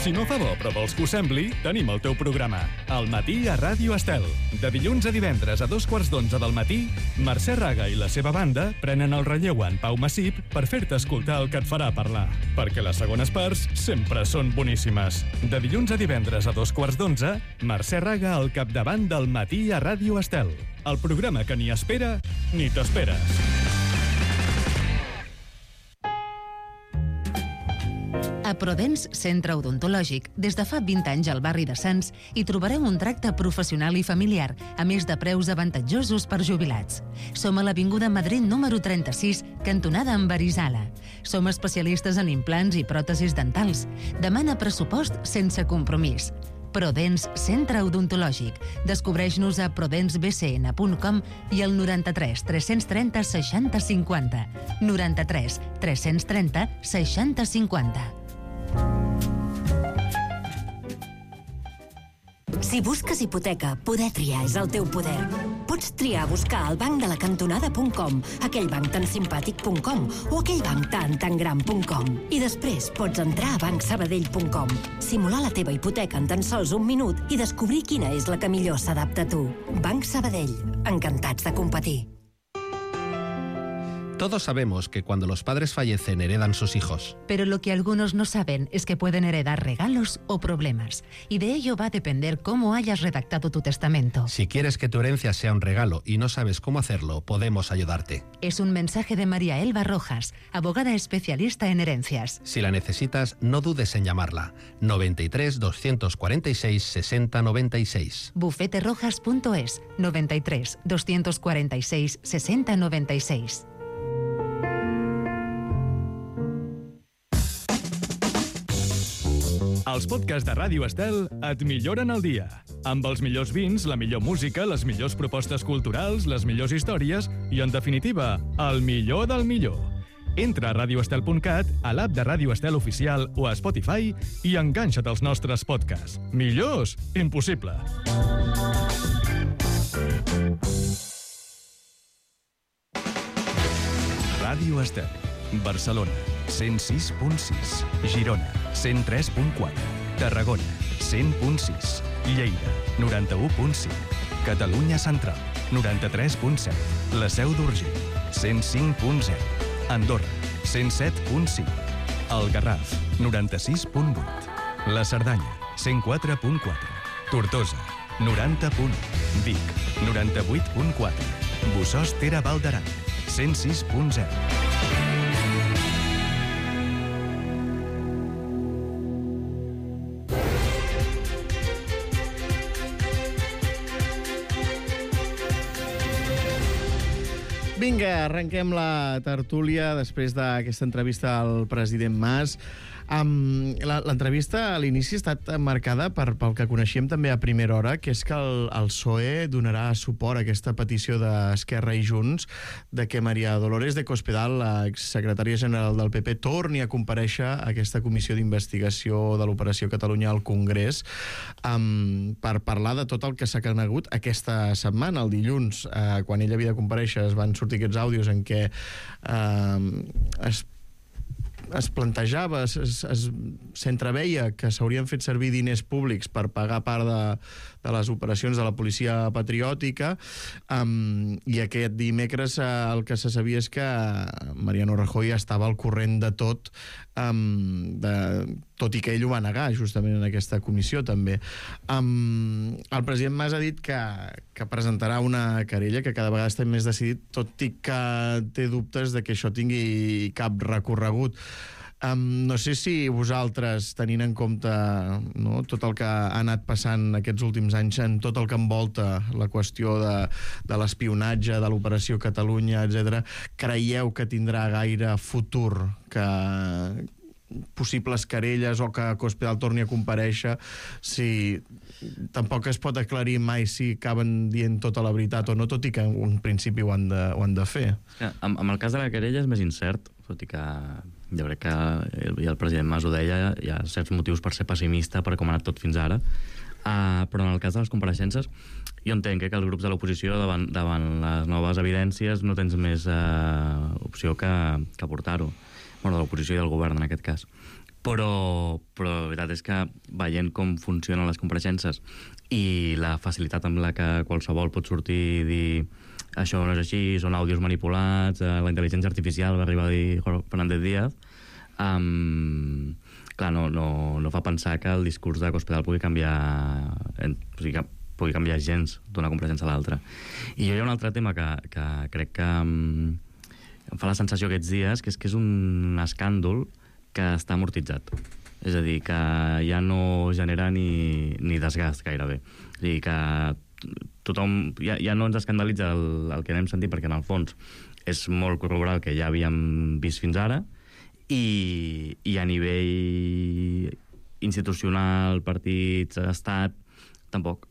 Si no fa bo, però vols que ho sembli, tenim el teu programa, Al matí a Ràdio Estel. De dilluns a divendres a 11:15 del matí, Mercè Raga i la seva banda prenen el relleu en Pau Massip per fer-te escoltar el que et farà parlar. Perquè les segones parts sempre són boníssimes. De dilluns a divendres a 11:15, Mercè Raga al capdavant del Matí a Ràdio Estel. El programa que ni espera ni t'esperes. A Prodens Centre Odontològic, des de fa 20 anys al barri de Sants, hi trobareu un tracte professional i familiar, a més de preus avantatjosos per jubilats. Som a l'Avinguda Madrid número 36, cantonada amb Arizala. Som especialistes en implants i pròtesis dentals. Demana pressupost sense compromís. Prodens Centre Odontològic. Descobreix-nos a prodensbcn.com i al 93 330 60 50. 93 330 60 50. Si busques hipoteca, poder triar és el teu poder. Pots triar buscar al banc de la cantonada.com, aquell banc tan simpàtic.com o aquell banc tan gran.com. I després pots entrar a bancsabadell.com, simular la teva hipoteca en tan sols un minut i descobrir quina és la que millor s'adapta a tu. Banc Sabadell. Encantats de competir. Todos sabemos que cuando los padres fallecen heredan sus hijos. Pero lo que algunos no saben es que pueden heredar regalos o problemas. Y de ello va a depender cómo hayas redactado tu testamento. Si quieres que tu herencia sea un regalo y no sabes cómo hacerlo, podemos ayudarte. Es un mensaje de María Elba Rojas, abogada especialista en herencias. Si la necesitas, no dudes en llamarla. 93 246 60 96. Bufeterojas.es. 93 246 60 96. Els podcasts de Ràdio Estel et milloren el dia. Amb els millors vins, la millor música, les millors propostes culturals, les millors històries i, en definitiva, el millor del millor. Entra a radioestel.cat, a l'app de Ràdio Estel Oficial o a Spotify i enganxa't als nostres podcasts. Millors? Impossible. Ràdio Estel. Barcelona, 106.6. Girona, 103.4. Tarragona, 100.6. Lleida, 91.5. Catalunya Central, 93.7. La Seu d'Urgell, 105.0. Andorra, 107.5. El Garraf, 96.8. La Cerdanya, 104.4. Tortosa, 90.1. Vic, 98.4. Bossòst Ter Val d'Aran, 106.0. Vinga, arrenquem la tertúlia després d'aquesta entrevista al president Mas. L'entrevista a l'inici ha estat marcada pel que coneixíem també a primera hora, que és que el PSOE donarà suport a aquesta petició d'Esquerra i Junts de que Maria Dolores de Cospedal, la exsecretària general del PP, torni a comparèixer a aquesta comissió d'investigació de l'Operació Catalunya al Congrés per parlar de tot el que s'ha conegut aquesta setmana. El dilluns, quan ella havia de comparèixer, es van sortir aquests àudios en què es plantejava, s'entreveia que s'haurien fet servir diners públics per pagar part de les operacions de la policia patriòtica, i aquest dimecres el que se sabia és que Mariano Rajoy estava al corrent de tot, tot i que ell ho va negar justament en aquesta comissió també. El president Mas ha dit que presentarà una querella, que cada vegada està més decidit, tot i que té dubtes de que això tingui cap recorregut. No sé si vosaltres, tenint en compte tot el que ha anat passant aquests últims anys, en tot el que envolta la qüestió de l'espionatge, de l'Operació Catalunya, etc., creieu que tindrà gaire futur que possibles querelles o que Cospedal torni a comparèixer, si tampoc es pot aclarir mai si acaben dient tota la veritat o no, tot i que en principi ho han de fer. Amb el cas de la querella és més incert, tot i que jo crec que el president Mas ho deia, hi ha certs motius per ser pessimista per com ha anat tot fins ara, però en el cas de les compareixences jo entenc que els grups de l'oposició davant les noves evidències no tens més opció que portar-ho, de l'oposició i del govern en aquest cas, però la veritat és que veient com funcionen les compareixences i la facilitat amb la que qualsevol pot sortir i dir això no és així, són àudios manipulats, la intel·ligència artificial, va arribar a dir Fernández Díaz, clar, no fa pensar que el discurs de Cospedal pugui canviar gens d'una compareixença a l'altra. I hi ha un altre tema que crec que em fa la sensació aquests dies, que és un escàndol que està amortitzat. És a dir, que ja no genera ni desgast gairebé. És a dir, que tothom ja no ens escandalitza el que anem sentint, perquè en el fons és molt corroborar el que ja havíem vist fins ara, i a nivell institucional, partits, estat, tampoc.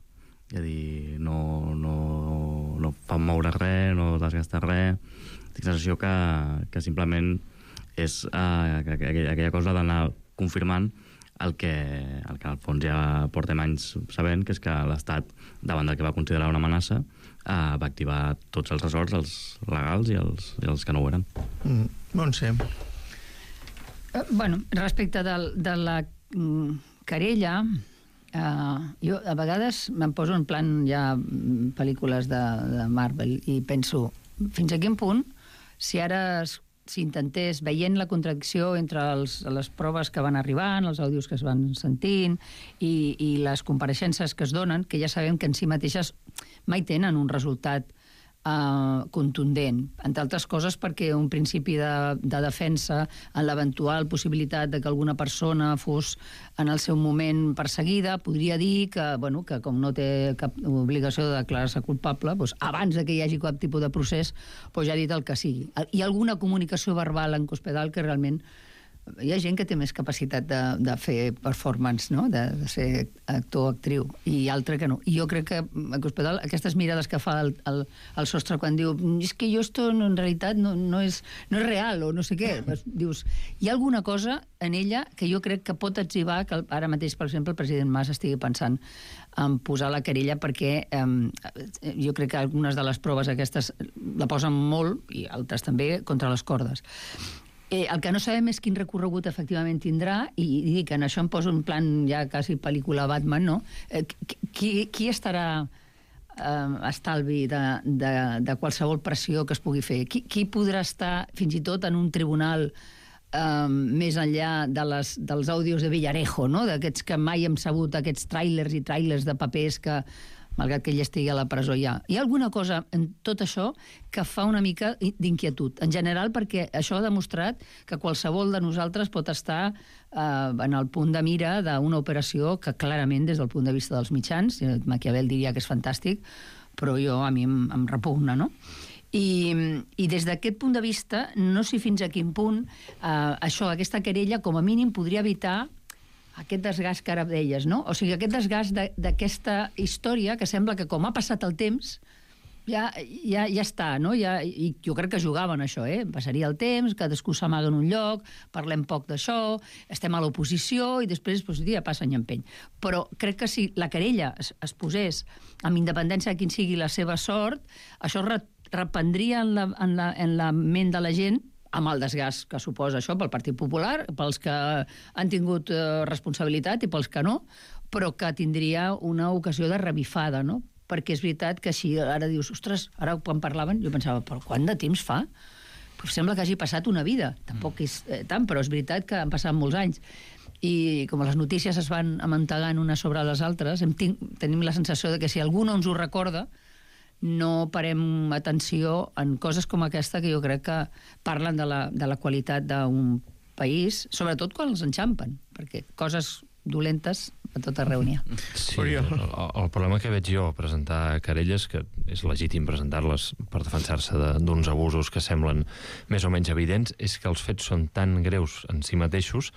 És a dir, no fa moure res, no desgasta res. Tinc la sensació que simplement és aquella cosa d'anar confirmant el que al fons ja portem anys sabent, que és que l'Estat, davant del que va considerar una amenaça, va activar tots els ressorts, els legals i els que no ho eren. Montse. Respecte de la querella, jo a vegades me'n poso en plan ja pel·lícules de Marvel i penso, fins a quin punt, si ara s'intentés, veient la contradicció entre les proves que van arribant, els àudios que es van sentint i les compareixences que es donen, que ja sabem que en si mateixes mai tenen un resultat contundent, entre altres coses perquè un principi de defensa en l'eventual possibilitat de que alguna persona fos en el seu moment perseguida, podria dir que com no té cap obligació de declarar-se culpable, abans que hi hagi cap tipus de procés, ja ha dit el que sigui. Hi ha alguna comunicació verbal en Cospedal que realment hi ha gent que té més capacitat de fer performance, no? De ser actor o actriu, i altra que no. I jo crec que a Cospedal, aquestes mirades que fa al sostre quan diu és que esto en realitat no és real, o no sé què, dius, hi ha alguna cosa en ella que jo crec que pot etzibar que ara mateix, per exemple, el president Mas estigui pensant en posar la querella, perquè jo crec que algunes de les proves aquestes la posen molt, i altres també, contra les cordes. El que no sabem és quin recorregut efectivament tindrà, i dic que en això em poso en plan ja quasi pel·lícula Batman, no? Qui estarà estalvi de qualsevol pressió que es pugui fer? Qui podrà estar fins i tot en un tribunal més enllà dels àudios de Villarejo, no? D'aquests que mai hem sabut, aquests tràilers i tràilers de papers que, malgrat que ell estigui a la presó ja. Hi ha alguna cosa en tot això que fa una mica d'inquietud, en general, perquè això ha demostrat que qualsevol de nosaltres pot estar en el punt de mira d'una operació que clarament, des del punt de vista dels mitjans, Maquiavel diria que és fantàstic, però a mi em repugna, no? I des d'aquest punt de vista, no sé fins a quin punt aquesta querella, com a mínim, podria evitar aquest desgast que ara deies, no? O sigui, aquest desgast d'aquesta història que sembla que, com ha passat el temps, ja està, no? I jo crec que jugaven això, passaria el temps, cadascú s'amaga en un lloc, parlem poc d'això, estem a l'oposició i després ja passa any empeny. Però crec que si la querella es posés amb independència de quin sigui la seva sort, això reprendria en la ment de la gent, amb el desgast que suposa això pel Partit Popular, pels que han tingut responsabilitat i pels que no, però que tindria una ocasió de revifada, no? Perquè és veritat que si ara dius, ostres, ara quan parlaven, jo pensava, però quant de temps fa? Però sembla que hagi passat una vida. Tampoc és tant, però és veritat que han passat molts anys. I com les notícies es van amuntegant unes sobre les altres, tenim la sensació de que si algú no ens ho recorda, no parem atenció en coses com aquesta que jo crec que parlen de la qualitat d'un país, sobretot quan els enxampen, perquè coses dolentes a tot arreu n'hi ha. Sí, el problema que veig jo a presentar querelles, que és legítim presentar-les per defensar-se d'uns abusos que semblen més o menys evidents, és que els fets són tan greus en si mateixos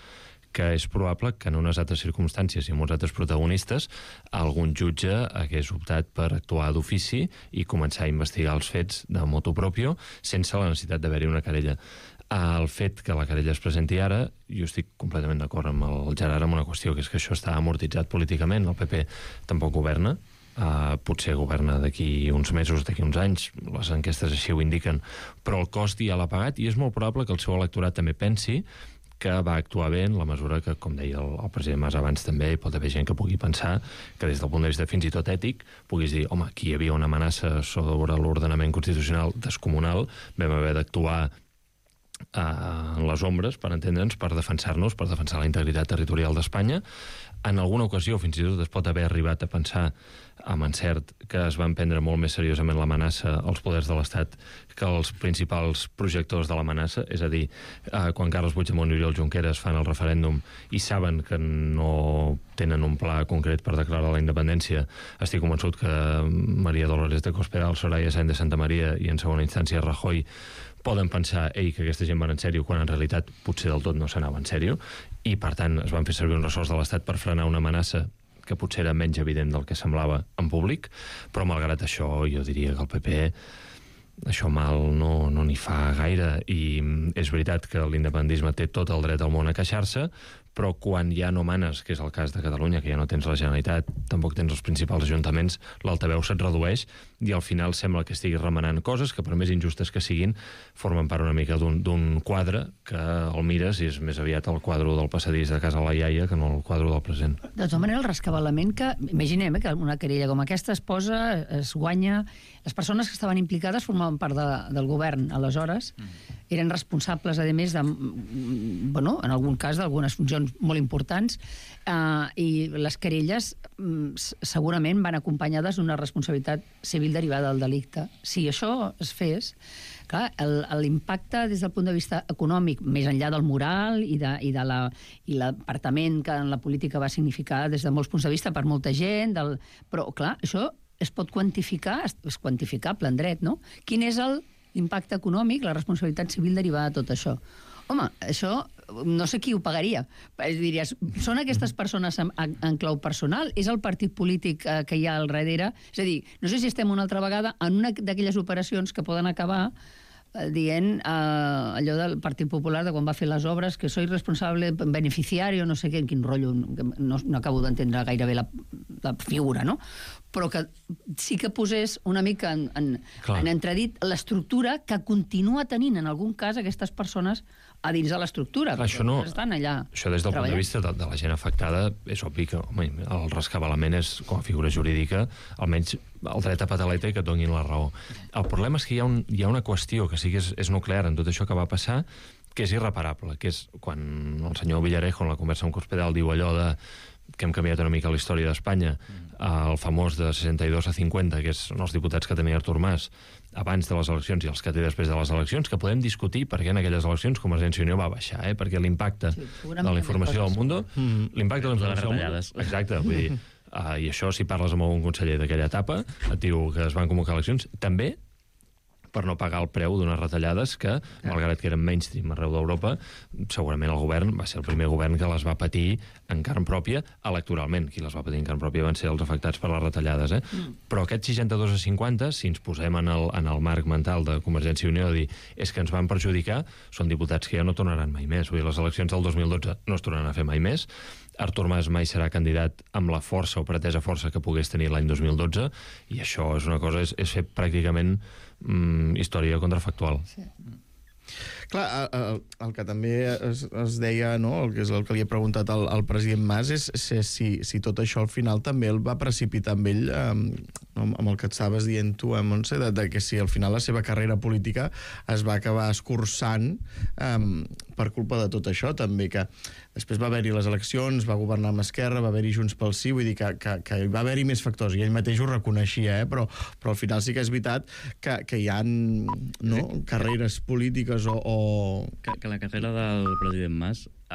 que és probable que en unes altres circumstàncies i amb uns altres protagonistes algun jutge hagués optat per actuar d'ofici i començar a investigar els fets de motu propio sense la necessitat d'haver-hi una querella. El fet que la querella es presenti ara, jo estic completament d'acord amb el Gerard amb una qüestió, que és que això està amortitzat políticament, el PP tampoc governa, potser governa d'aquí uns mesos, d'aquí uns anys, les enquestes així ho indiquen, però el cost ja l'ha pagat i és molt probable que el seu electorat també pensi que va actuar bé en la mesura que, com deia el president Mas abans també, hi pot haver gent que pugui pensar que des del punt de vista fins i tot ètic puguis dir, home, aquí hi havia una amenaça sobre l'ordenament constitucional descomunal, vam haver d'actuar en les ombres, per entendre'ns, per defensar-nos, per defensar la integritat territorial d'Espanya. En alguna ocasió, fins i tot, es pot haver arribat a pensar amb encert que es van prendre molt més seriosament l'amenaça als poders de l'Estat que els principals projectors de l'amenaça, és a dir, quan Carles Puigdemont i Oriol Junqueras fan el referèndum i saben que no tenen un pla concret per declarar la independència, estic convençut que Maria Dolores de Cospedal, Soraya Sáenz de Santamaría i en segona instància Rajoy poden pensar que aquesta gent va en sèrio quan en realitat potser del tot no s'anava en sèrio i per tant es van fer servir uns ressorts de l'Estat per frenar una amenaça que potser era menys evident del que semblava en públic, però malgrat això jo diria que el PP això mal no n'hi fa gaire i és veritat que l'independentisme té tot el dret al món a queixar-se, però quan ja no manes, que és el cas de Catalunya, que ja no tens la Generalitat, tampoc tens els principals ajuntaments, l'altaveu se't redueix i al final sembla que estiguis remenant coses que, per més injustes que siguin, formen part una mica d'un quadre que el mires i és més aviat el quadre del passadís de casa la iaia que no el quadre del present. De tota manera, el rescabalament que... Imaginem que una querella com aquesta es posa, es guanya... Les persones que estaven implicades formaven part del govern, aleshores, eren responsables, a més, en algun cas, d'algunes funcions molt importants, i les querelles segurament van acompanyades d'una responsabilitat civil derivada del delicte. Si això es fes, clar, l'impacte des del punt de vista econòmic, més enllà del moral i l'apartament que en la política va significar des de molts punts de vista per molta gent, però, clar, això es pot quantificar, és quantificable en dret, no? Quin és l'impacte econòmic, la responsabilitat civil derivada de tot això? Home, això no sé qui ho pagaria. Diries, són aquestes persones en clau personal? És el partit polític que hi ha al darrere? És a dir, no sé si estem una altra vegada en una d'aquelles operacions que poden acabar dient allò del Partit Popular de quan va fer les obres, que soy responsable beneficiario, no sé què, en quin rotllo, no acabo d'entendre gairebé la figura, no? Però que sí que posés una mica en entredit l'estructura que continua tenint en algun cas aquestes persones a dins de l'estructura. Això no. Estan allà Això des del punt de vista de la gent afectada és obvi que el rescabalament és, com a figura jurídica, almenys el dret a pataleta i que et donin la raó. El problema és que hi ha una qüestió que sí que és nuclear en tot això que va passar, que és irreparable, que és quan el senyor Villarejo en la conversa amb Cospedal diu allò de que hem canviat una mica la història d'Espanya, el famós de 62 a 50, que són els diputats que tenia Artur Mas abans de les eleccions i els que té després de les eleccions, que podem discutir per què en aquelles eleccions Convergència i Unió va baixar, perquè l'impacte de la informació del Mundo, l'impacte de la informació del Mundo, exacte, vull dir, i això si parles amb algun conseller d'aquella etapa, et diu que es van convocar eleccions, també per no pagar el preu d'unes retallades que, malgrat que eren mainstream arreu d'Europa, segurament el govern va ser el primer govern que les va patir en carn pròpia electoralment. Qui les va patir en carn pròpia van ser els afectats per les retallades. Però aquest 62 a 50, si ens posem en el marc mental de Convergència i Unió, dir és que ens van perjudicar, són diputats que ja no tornaran mai més. Vull dir, les eleccions del 2012 no es tornaran a fer mai més. Artur Mas mai serà candidat amb la força o pretesa força que pogués tenir l'any 2012, i això és una cosa, és fer pràcticament història contrafactual. Sí. Clar, el que també es deia, no? El que li he preguntat al president Mas és si tot això al final també el va precipitar amb ell, amb el que estaves dient tu, Montse, de que si al final la seva carrera política es va acabar escurçant per culpa de tot això, també, que després va haver-hi les eleccions, va governar amb Esquerra, va haver-hi Junts pel Sí, vull dir que va haver-hi més factors, i ell mateix ho reconeixia, però al final sí que és veritat que hi ha carreres polítiques o... Que la carrera del president Mas